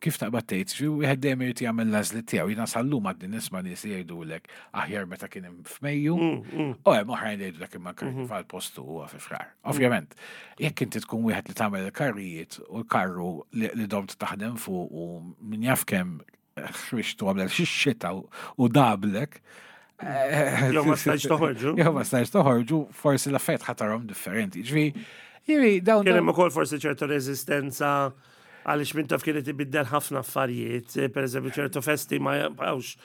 kif taqbad tgħid, ġifieri wieħed dejjem irid jagħmel l-għażliet tiegħu. Jiena sal-lum għadni nisma' nies li jgħidulek aħjar meta kien hemm f'Mejju, u hemm oħrajn li jgħidulek imma karnival postu huwa fi Frar. Ovvjament, jekk inti tkun wieħed li tagħmel il-karrijiet u l-karru li li domt taħdem fuq u min jaf kemm ħriġtu għamlek xi xita u- u dablek. eh, Jew ma stajtx toħorġu. Jew ma stajtx toħorġu, forsi l-affarijiet ħa tarahom differenti. Ġifieri, ġifieri dawn Kien hemm ukoll forsi ċertu reżistenza għaliex Mintoff kienet ibiddel ħafna affarijiet, per eżempju ċertu festi ma jibqgħux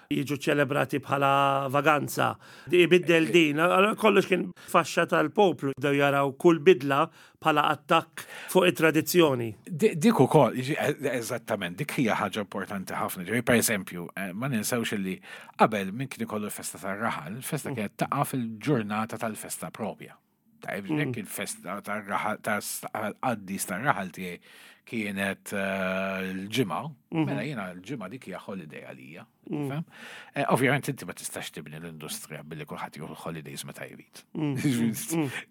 jiġu ċelebrati bħala vaganza. Ibiddel din, allora kollox kien faxxa tal-poplu, bdew jaraw kull bidla bħala attakk fuq it-tradizzjoni. Di- Dik ukoll, jiġi- eh, eżattament, dik hija ħaġa importanti ħafna. Ġifieri, per eżempju, eh, ma ninsewx li qabel min kien ikollu l-festa tar-raħal, il-festa kienet taqa' fil-ġurnata tal-festa propja. Tajb, jekk il-festa tar-raħal tal-qaddis tar-raħal tiegħi kienet eh, l-Ġimgħa, mela jiena l-Ġimgħa dik hija holiday għalija. Fhem? Eh, Ovvjament inti ma tistax tibni l-industrija billi kulħadd jieħu holidays meta jrid.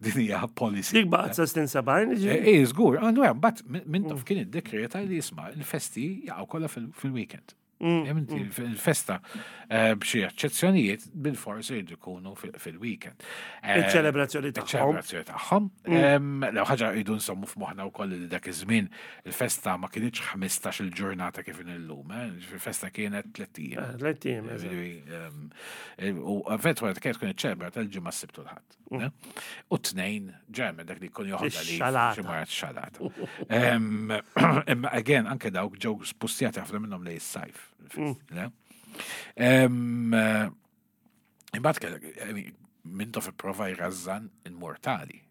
Din hija policy. Dik baqgħet sa snin sebgħin, ġifieri? Eh, żgur, għandu hemm, but Mintoff kien iddekreta li jisma' il-festi jaqgħu kollha fil- fil-weekend. Hemm inti il-festa eh, b'xi eċċezzjonijiet bil-forsi jridu jkunu fil- fil-weekend. Eh, Iċ-ċelebrazzjoni tagħhom. Iċ-ċelebrazzjoni tagħhom. Em, Lew ħaġa jridu nsommu f'moħħna wkoll li dak iż-żmien il-festa ma kinitx ħmistax il-ġurnata kif illum, eh, il-festa kienet tliet ijiem. Eh, Tliet ijiem, eżatt. Ġifieri, em, eh, U eventwalment kienet tkun iċċelebra tal-Ġimgħa, s-Sibt u l-Ħadd. Ne? U t-Tnejn, ġemmen dak li jkun joħodha li Ix-xalata. xi marat xalata. Em, Imma again, anke dawk ġew spustjati ħafna minnhom lejn is-sajf. Ne? Em, eh, Imbagħad kellek, I mean, Mintoff ipprova jrażżan il-mortali.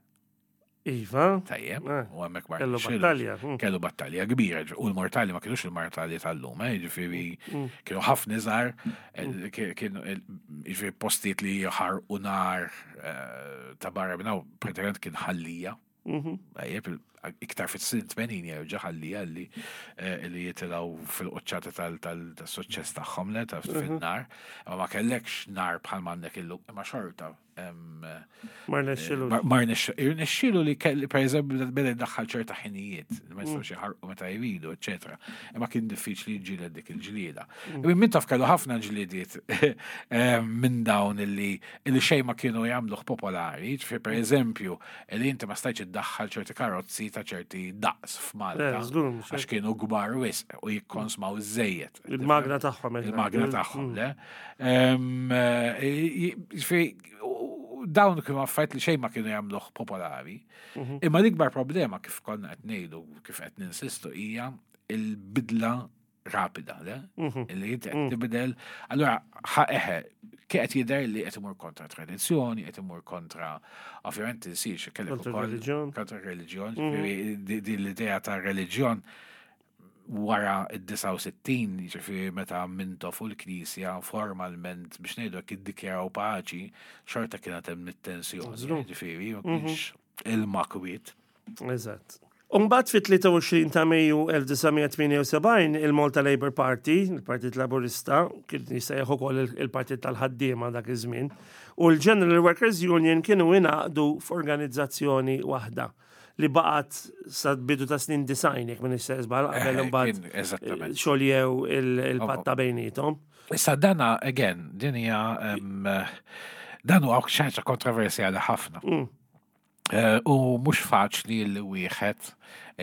Iva. Tajjeb, Eh, u hemmhekk ma kellu rnexxilux. battalja, mm. Kellu battalja kbira, ġ- u l-mortali ma kienux il-mortali tal-lum, eh, ġifieri Mm. kienu ħafna iżgħar, eh, ki- kienu il- ġifieri postijiet li ħarqu nar eh, ta' barra minn hawn, pratikament kien Ħal Lija. Mhm. Tajjeb, il- iktar fit-snin tmenin jerġa' Ħal Lija li eh, li jitilgħu fil-qoċċata tal-suċċess tagħhom le ta' fin-nar. Imma ma kellekx nar bħal m'għandek illum, imma xorta em, Ma rnexxilux. Ma ma rnexx- irnexxielu li kelli, per eżempju, beda jdaħħal ċerta ħinijiet, ma jistgħux jħarqu meta jridu, eċetera. Imma kien diffiċli jġieled dik il-ġlieda. Mm. Min taf kellu ħafna ġliediet eh, minn dawn illi illi xejn ma kienu jagħmluh popolari, ġifieri per eżempju, li inti ma stajtx iddaħħal ċerti karozzi ta' ċerti daqs f'Malta. Eh, żgur, mhux Għax kienu kbar wisq u jikkonsmaw iż-żejjed. Il-magna tagħhom. Il-magna tagħhom, le? Em, eh, Ġifieri, u- dawn kienu affarijiet li xejn ma kienu jagħmluh popolari. Imma l-ikbar problema, kif konna qed ngħidu, kif qed ninsistu, hija il-bidla rapida, le? Illi inti qed tibdel. Allura, ħa eħe, kif qed jidher li qed imur kontra tradizzjoni, qed imur kontra, ovvjament tinsiex kellek Kontra ukoll reliġjon. kontra reliġjon, ġifieri di- di l-idea ta' reliġjon wara id-disgħa u sittin, ġifieri meta Mintoff u l-Knisja formalment, biex ngħidu hekk, iddikjaraw paċi, xorta kienet hemm it-tensjoni, ġifieri ma kienx il-makwiet. Eżatt. Umbagħad fit-tlieta u għoxrin ta' Mejju elf disa' mija tmienja u sebgħin il-Malta Labour Party, il-Partit Laburista, kien jissejjaħ ukoll il-Partit tal-Ħaddiema dak iż-żmien, u l-General Workers Union kienu ingħaqdu f'organizzazzjoni waħda li baqgħet sa bidu ta' snin disgħin, jekk m'iniex żball, qabel Eh, imbagħad kien- Eżattament. xoljew il-patta bejniethom. Issa dana, again, din hija em, dan huwa xi ħaġa kontroversjali ħafna. Mm. Eh, U mhux faċli li wieħed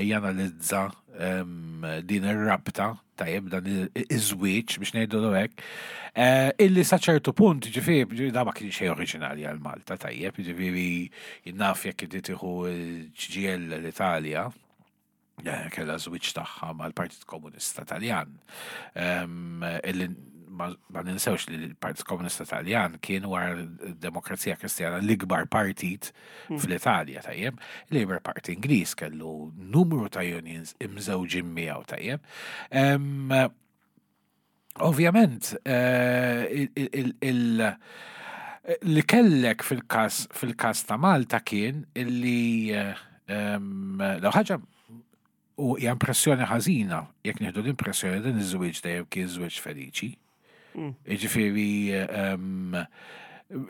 janalizza em, din ir-rabta, tajjeb, dan iż-żwieġ biex ngħidu hekk, eh, illi sa ċertu punt, ġifieri, ġifieri da ma kien xejn oriġinali għal Malta, tajjeb, ġifieri naf jekk inti tieħu C G I L l-Italja, eh, kellha żwieġ tagħha mal-Partit Komunista Taljan. Em, Illi ma ma ninsewx li l-Partit Komunista Taljan kien wara d-Demokrazija Kristjana l-ikbar partit fl-Italja, tajjeb. Il-Labour Party Ingliż kellu numru ta' unions imżewġin miegħu, tajjeb. Em, Ovvjament, eh, il- il- il- li kellek fil-kas fil-kas ta' Malta kien illi eh, em, l ħaġa u hija impressjoni ħażina jekk nieħdu l-impressjoni din iż-żwieġ dejjem kien żwieġ feliċi. Jiġifieri em,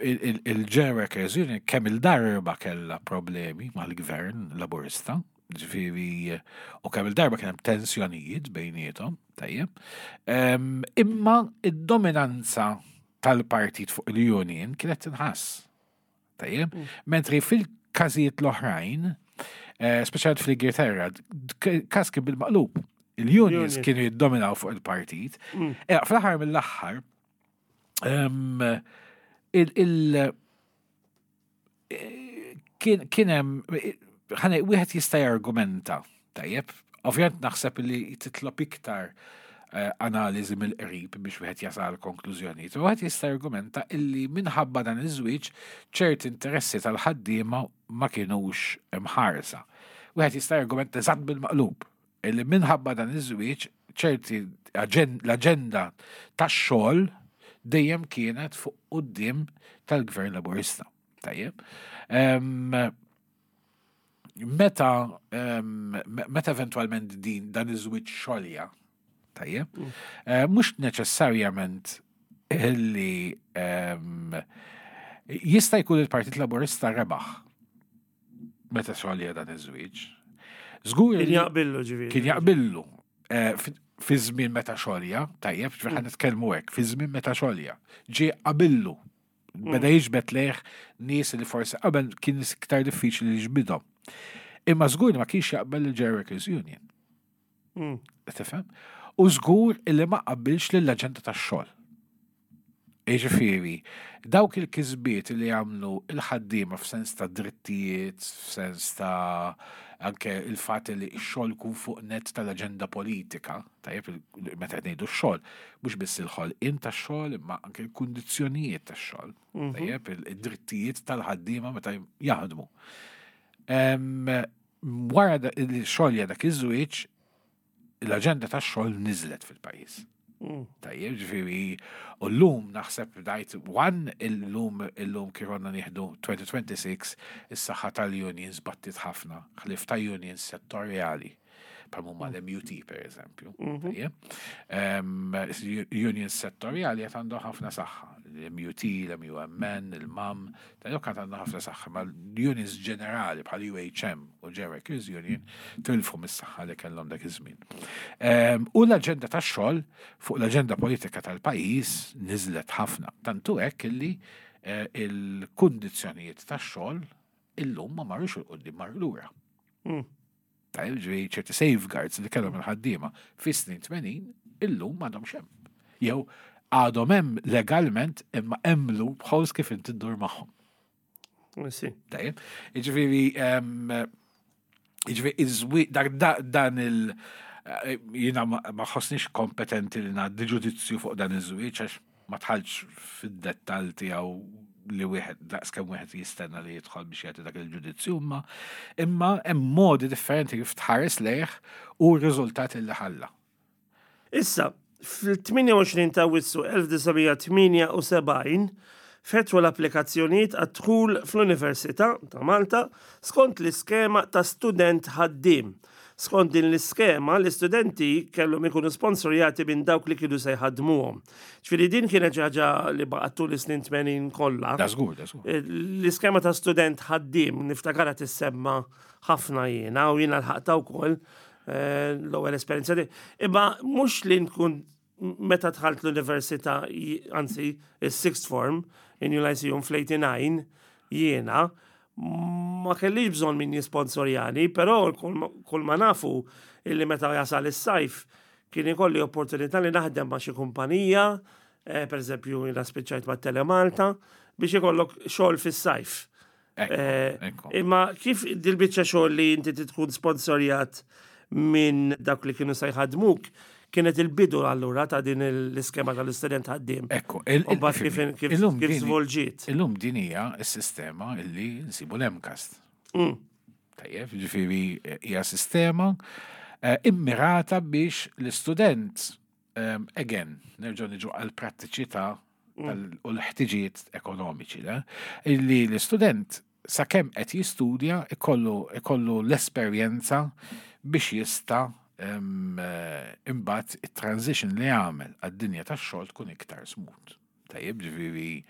il- il- il-General Workers Union kemm il-darba kellha problemi mal-gvern laburista, ġifieri, u kemm il-darba kien hemm tensjonijiet bejniethom, tajjeb. Em, Imma id-dominanza tal-partit fuq il-union kienet tinħass. Tajjeb, mentri fil-każijiet l-oħrajn, eh, speċjalment fl-Ingilterra, d- każ kien bil-maqlub. Il-unions Union. kienu jiddominaw fuq il-partit. Eh, Fl-aħħar mill-aħħar, em, il- il- eh, kien kien hemm ħane wieħed jista' jargumenta, tajjeb. Ovvjament naħseb li titlob iktar eh, analiżi mill-qrib biex wieħed jasal konklużjonijiet. U wieħed jista' jargumenta illi minħabba dan iż-żwieġ ċerti interessi tal-ħaddiema ma kienux imħarsa. Wieħed jista' jargumenta eżatt bil-maqlub illi minħabba dan iż-żwieġ ċerti aġen- l-aġenda tax-xogħol dejjem kienet fuq quddiem tal-Gvern Laburista. Tajjeb. Em, Meta em, me- meta eventualment din dan iż-żwieġ xolja, tajjeb, eh, mhux neċessarjament illi em, jista' jkun il-Partit Laburista rebaħ meta xolja dan iż-żwieġ. Żgur Kien li- jaqbillu, ġifieri. Kien jaqbillu eh, fi- fi żmien meta xolja, tajjeb, ġifieri ħa nitkellmu hekk, fi żmien meta xolja. Ġie qabillu. Beda jiġbed lejh nies li forsi qabel kien iktar diffiċli li jiġbidhom. Imma żgur li ma kienx jaqbel il-General Workers Union. Mm. Tifhem? U żgur illi ma qabilx lill-aġenda tax-xogħol. Jiġifieri, dawk il-kisbiet li għamlu il-ħaddiema f'sens ta' drittijiet, f'sens ta' anke il-fatt li x-xogħol kun fuq net tal-aġenda politika, tajjeb, il- meta qed ngħidu x-xogħol, mhux biss il-ħolqien tax-xogħol, imma anke l-kundizzjonijiet tax-xogħol, tajjeb, il- id-drittijiet tal-ħaddiema meta jaħdmu. Em, Wara da- il-xogħol dak iż-żwieġ, l-aġenda tax-xogħol niżlet fil-pajjiż. Mm. Tajjeb, ġifieri, u l-lum naħseb dajt, one, il-lum, il-lum kironna nieħdu elfejn u sitta u għoxrin, is-saħħa tal-unions battit ħafna, ħlif ta' unions settorjali, bħal huma l-M U T per eżempju. Tajjeb. Em, Unions settorjali qed għandhom ħafna saħħa. L-M U T, l-M U M N, il-M A M, tajjeb, kant għandhom ħafna saħħa, ma l-unions ġenerali bħal U H M u General Workers Union tilfu mis-saħħa li kellhom dak iż-żmien. Em, U l-aġenda tax-xogħol fuq l-aġenda politika tal-pajjiż niżlet ħafna. Tantu hekk illi eh, il-kundizzjonijiet tax-xogħol illum ma marrux 'il quddiem, mar lura. Mm. Tajjeb, ġifieri ċerti safeguards li kellhom il-ħaddiema fis-snin tmenin illum m'għadhomx hemm. Jew għadhom hemm legalment imma hemm loopholes kif inti ddur magħhom. Si. Tajjeb, jiġifieri em, jiġifieri iż-żwi- dak- da- dan il- eh, jiena ma ma ħossnix kompetenti li ngħaddi ġudizzju fuq dan iż-żwieġ għax ma dħaltx fid-dettall tiegħu li wieħed daqs kemm wieħed jistenna li jidħol biex jagħti dak il-ġudizzju, imma imma hemm modi differenti kif tħares lejh u r-riżultati li ħalla. Issa, fil-tmienja u għoxrin ta' Awwissu elf disa' mija tmienja u sebgħin, fetħu l-applikazzjonijiet għad-dħul fl-Università ta' Malta skont l-iskema ta' student ħaddiem. Skont din l-iskema, l-istudenti kellhom ikunu sponsorjati minn dawk li kienu se jħadmuhom. Ġifieri din kienet xi ħaġa li baqgħet tul is-snin tmenin kollha. Da żgur, da żgur. L-iskema ta' student ħaddiem niftakarha tissemma ħafna jiena u jiena lħaqtha wkoll eh, l-ewwel esperjenza di. Imma mhux li nkun meta dħalt l-università, j- anzi, il-sixth form, in New Lyceum fl-eighty-nine, jiena ma kellix bżonn min jisponsorjani, però kull ma- kull ma nafu illi meta jasal is-sajf kien ikolli opportunità li naħdem ma' xi kumpanija, eh, per eżempju jiena spiċċajt ma' Telemalta, biex ikollok xogħol fis-sajf. Ekku, Eh, ekku. Imma kif dil-biċċa xogħol li inti tkun sponsorjat minn dak li kienu se jħadmuk, kienet il-bidu allura ta' din l-iskema tal-istudent ħaddiem? Ekku, il- U mbagħad kif kif illum kif din- żvolġiet? Illum din hija s-sistema illi nsibu l-MCAST. Mm. Tajjeb, ġifieri hija sistema eh, immirata biex l-istudent, um, again, nerġgħu niġu għal prattiċità tal- u l-ħtiġijiet ekonomiċi, le? Illi l-istudent sakemm qed jistudja ikollu ikollu l-esperjenza biex jista' em, eh, imbagħad it-transition li jagħmel għad-dinja tax-xogħol tkun iktar smooth. Tajjeb, ġifieri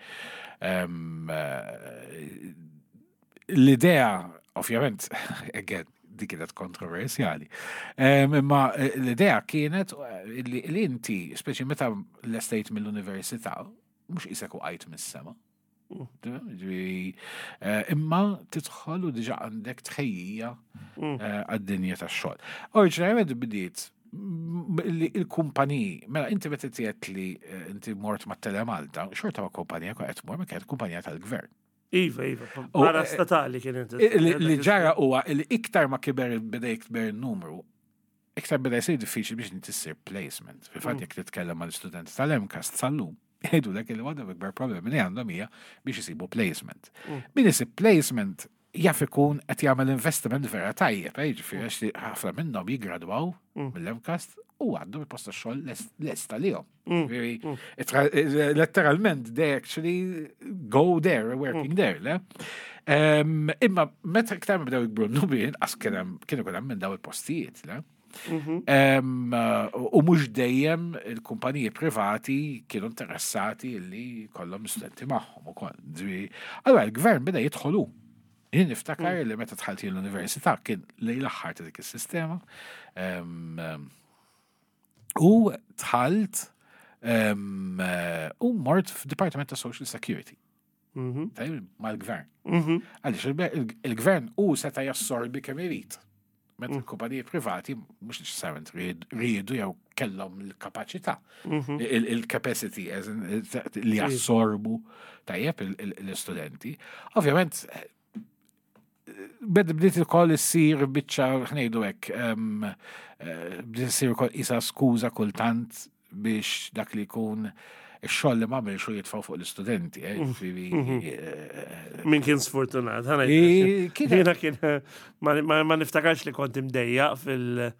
em, eh, l-idea, ovvjament, again, di kienet kontroversjali. Em, Imma eh, l-idea kienet eh, li li inti, speċi meta lestejt mill-università, mhux qisek waqajt mis-sema. Ġifieri, eh, Imma tidħol u diġà għandek tħejjija eh, għad-dinja tax-xogħol. Oriġinarjament bdiet m- li il-kumpaniji, mela inti meta tgħid li eh, inti mort ma' Telemalta, xorta ma' kumpanija qed tmur ma kienet kumpanija tal-gvern. Iva, iva, U, para eh, statali kienet. Li li ġara huwa li iktar ma kiber beda jikber il-numru, iktar beda jsir diffiċli biex inti ssir placement. Fil-fatt jekk titkellem mal-istudenti tal-MCAST sal-lum, jgħidu lek li waħda ikbar problemi li għandhom hija biex isibu placement. Min isib placement jaf ikun qed jagħmel investiment vera tajjeb, eh, jiġifieri għax li ħafna minnhom jiggradwaw mill-MCAST u għandhom il-post tax-xogħol lesta lihom. Ġifieri, itra- eh, Letteralment, they actually go there, working there, le? Em, Imma meta iktar ma bdew jikbru n-numri, inqas kien hemm kienu kien hemm minn daw il-postijiet, le? Em, U mhux dejjem il-kumpaniji privati kienu interessati li kollhom studenti magħhom ukoll. Ġifieri, allura il-gvern beda jidħolu. Jien niftakar li meta dħalt jien l-università kien lejn l-aħħar ta' dik is-sistema. Em, em, U dħalt em, eh, u mort f'Department ta' Social Security. Tajjeb, mal-gvern. Għaliex il- il-gvern u seta' jassorbi kemm irid. Meta l-kumpaniji privati mhux neċessarjament ried- riedu jew kellhom il-kapaċità, il- il-capacity as in, li jassorbu tajjeb il- il- l-istudenti. Ovvjament, bed bdiet ukoll issir biċċa ħa ngħidu hekk, em, eh, bdiet issir ukoll isa skuża kultant biex dak li jkun ix-xogħol li m'għamilx u jitfgħu fuq l-istudenti, eh, ġifieri, eh, Min kien sfortunat, ħa I- ngħid. kien- Jiena kien, ma, ma, ma niftakarx li kont imdejjaq fil. Le,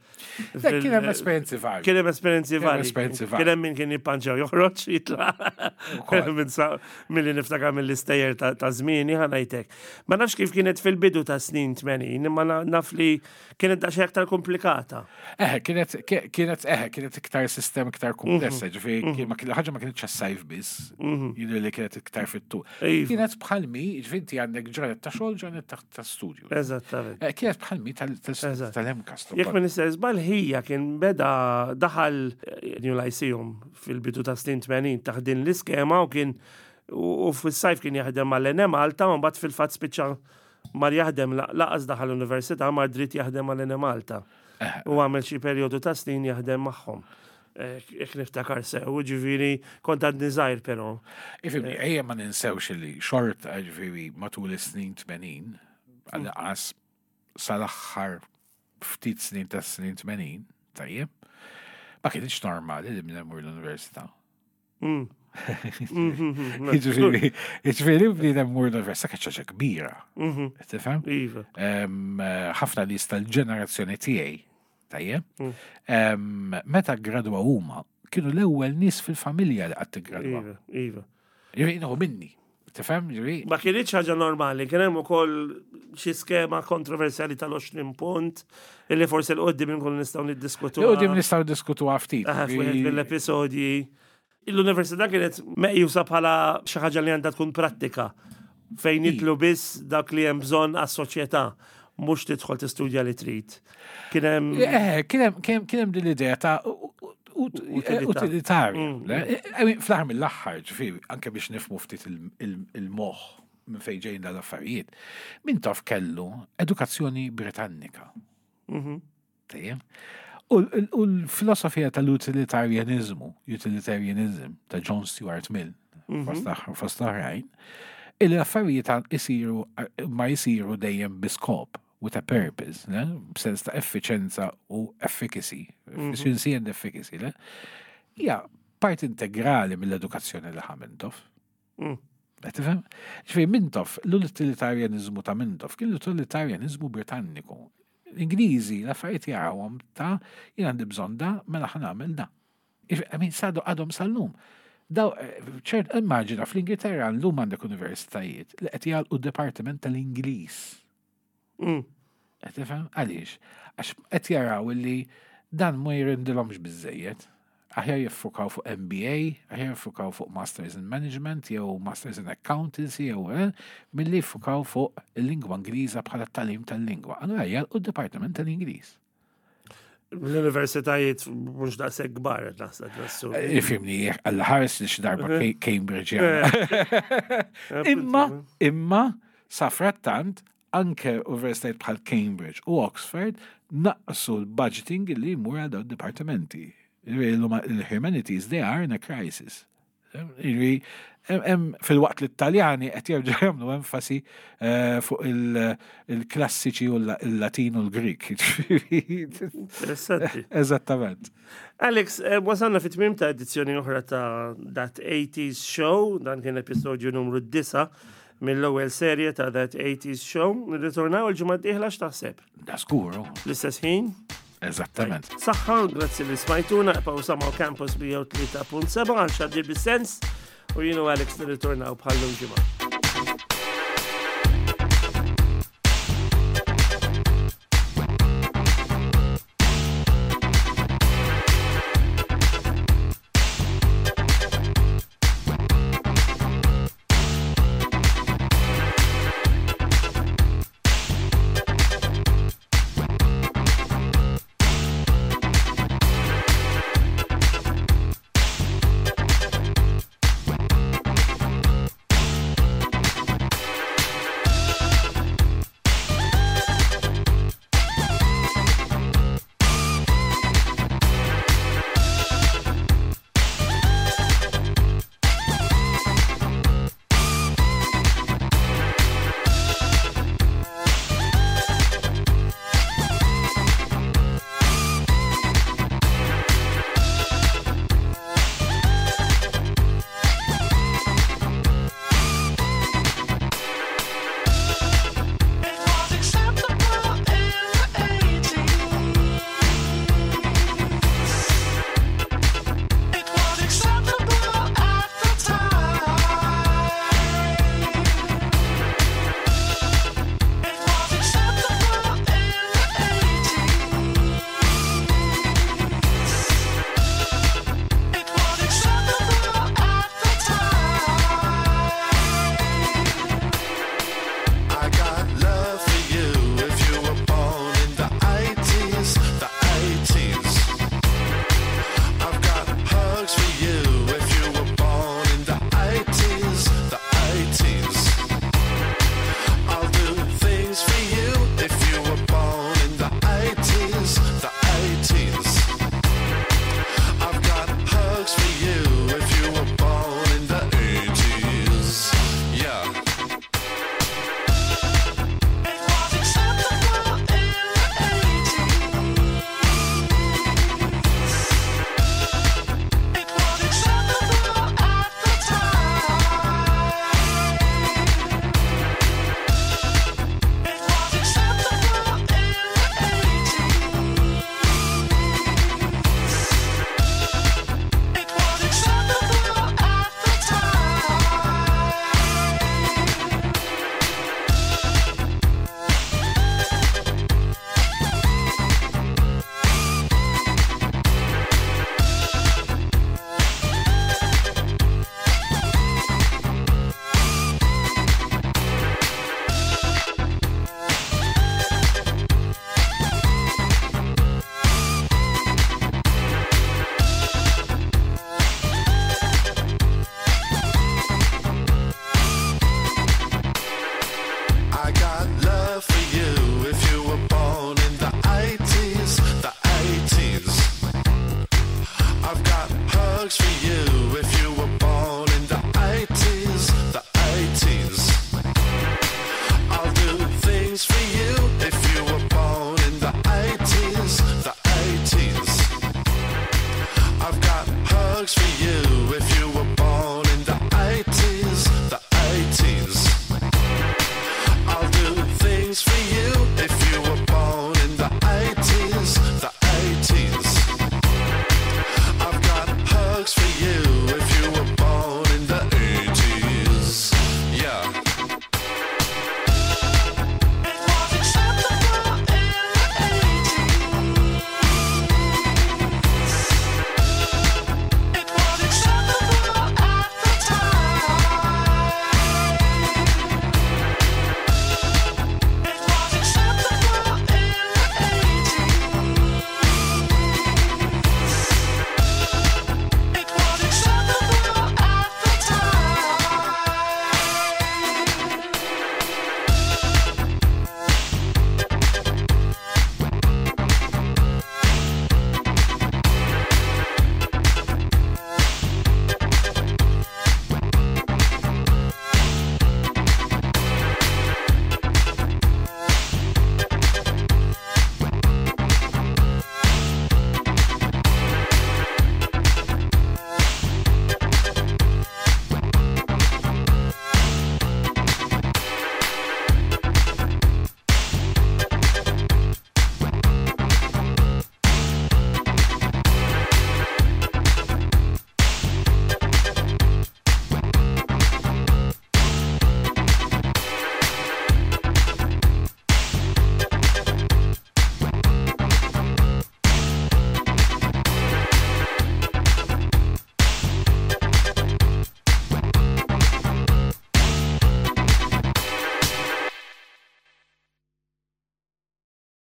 kien hemm esperjenzi varji. Kien hemm esperjenzi Kien hemm varji. esperjenzi varji. Kien hemm min kien jippanċaw joħroġ jitlaq. Ukoll. Minn sa- Milli niftakar mill-istejjer ta' ta' żmieni ħa ngħidlek. Ma nafx kif kienet fil-bidu ta' snin tmenin, imma na- naf li kienet daqsxejn aktar komplikata. Eħe, kienet, kienet, eħe, kienet iktar sistema iktar komplessa, ġifieri, kien- ma kien- ħaġa ma kienx sajf biss, jidher li kienet iktar fit-tul. Iva. Kienet bħalmi, ġifieri inti għandek ġranet ta' xogħol, ġranet ta' ta' studju. Eżattament. Eh, Kienet bħalmi Eżatt. tal-MCAST. Jekk minn nista' żball ħija kien beda daħal eh, New Lyceum fil-bidu ta' snin tmenin taħt din l-iskema u kien u u fis-sajf kien jaħdem mal-Enemalta u mbagħad fil-fatt spiċċa mar jaħdem la- laqas daħal l-università mar dritt jaħdem mal-Enemalta. U għamel xi perjodu ta' snin jaħdem magħhom. Eh, Jekk niftakar sew, ġifieri kont għadni żgħir però. Ifimni, ejja ma ninsewx li xorta ġifieri matul is-snin tmenin, għal-qas sal-aħħar ftit snin ta' snin tmenin, tajjeb, ma kienx normali li bniedem imur l-università. Mm. Ġifieri, ġifieri bniedem imur l-università kienet ħaġa kbira. Tifhem? Iva. Em, eh, ħafna nies tal-ġenerazzjoni tiegħi, tajjeb, em, meta gradwa huma, kienu l-ewwel nies fil-familja li qatt iggradwa. Iva, iva. Ġifieri, minni. Tifhem, ġifieri? Ma kienx ħaġa normali, kien hemm ukoll xi skema kontroversjali tal-għoxrin punt illi forsi 'l quddiem inkunu nistgħu niddiskutu. 'Il quddiem nistgħu diskutu ftit. F'wieħed mill-episodji. L-università kienet meqjusa bħala xi ħaġa li għandha tkun prattika, fejn jidħlu biss dak li hemm bżonn għas-soċjetà, mhux tidħol tistudja li trid. Kien hemm Eh, kien hemm kien hemm din l-idea ta' u- u- Utilità. utilitarja. Mm. Le? I mean, fl-aħħar mill-aħħar, ġifieri, anke biex nifhmu ftit il- il- il-moħħ minn fejn ġejn dal-affarijiet. Mintoff kellu edukazzjoni Britannika. Mhm. Tajjeb. U l- u l-filosofija tal-utilitarianizmu, utilitarianism, ta' John Stuart Mill, fost aħ- fost oħrajn, il-affarijiet isiru ma jisiru dejjem bi skop, with a purpose, ne? B'sens ta' effiċenza u efficacy, efficiency and efficacy, le? Hija part integrali mill-edukazzjoni li ħa Mintoff. Mm. Qed tifhem? Ġifieri Mintoff, l-utilitarianizmu ta' Mintoff kien l-utilitarianizmu Britanniku. L-Ingliżi l-affarijiet jarawhom ta' jien għandi bżonn da, mela ħa nagħmel da. I mean, sadu għadhom sal-lum. Daw, eh, ċert, immaġina fl-Ingilterra llum għandek universitajiet li qed jagħlqu d-Dipartiment tal-Ingliż. Mm. Qed tifhem? Għaliex? Għax qed jaraw li dan ma jirendilhomx biżejjed. Aħjar jiffukaw fuq M B A, aħjar jiffukaw fuq Masters in Management, jew Masters in Accountancy, jew eh, milli jiffukaw fuq il-lingwa Ingliża bħala tagħlim tal-lingwa. Allura jagħlqu d-Dipartiment tal-Ingliż. L-universitajiet mhux daqshekk kbar qed naħseb nassu. Ifhimni, għalla ħares li xi darba Ca- Cambridge jagħmel. Imma, imma, safrattant, anke universitajiet bħal Cambridge u Oxford naqsu l-budgeting li jmur għal dawn dipartimenti. Il-humanities, they are in a crisis. Ġifieri, fil-waqt li t-Taljani qed jerġgħu jagħmlu enfasi eh, fuq il- il-klassiċi u l-Latin u l-Grik. Interessanti. Eżattament. Alex, eh, wasalna fit tmim ta' edizzjoni oħra ta' That eighties Show, dan kien episodju numru disgħa mill-ewwel serje ta' That eighties Show. Nirritornaw il-ġimgħa d-dieħla, x'taħseb? Da skuru. L-istess ħin? Eżattament. Saħħa, grazzi li smajtuna, ibqgħu ma' Campus mija u tlieta punt sebgħa għal xandir bis-sens u jien u Alex nirritornaw bħal ġimgħa.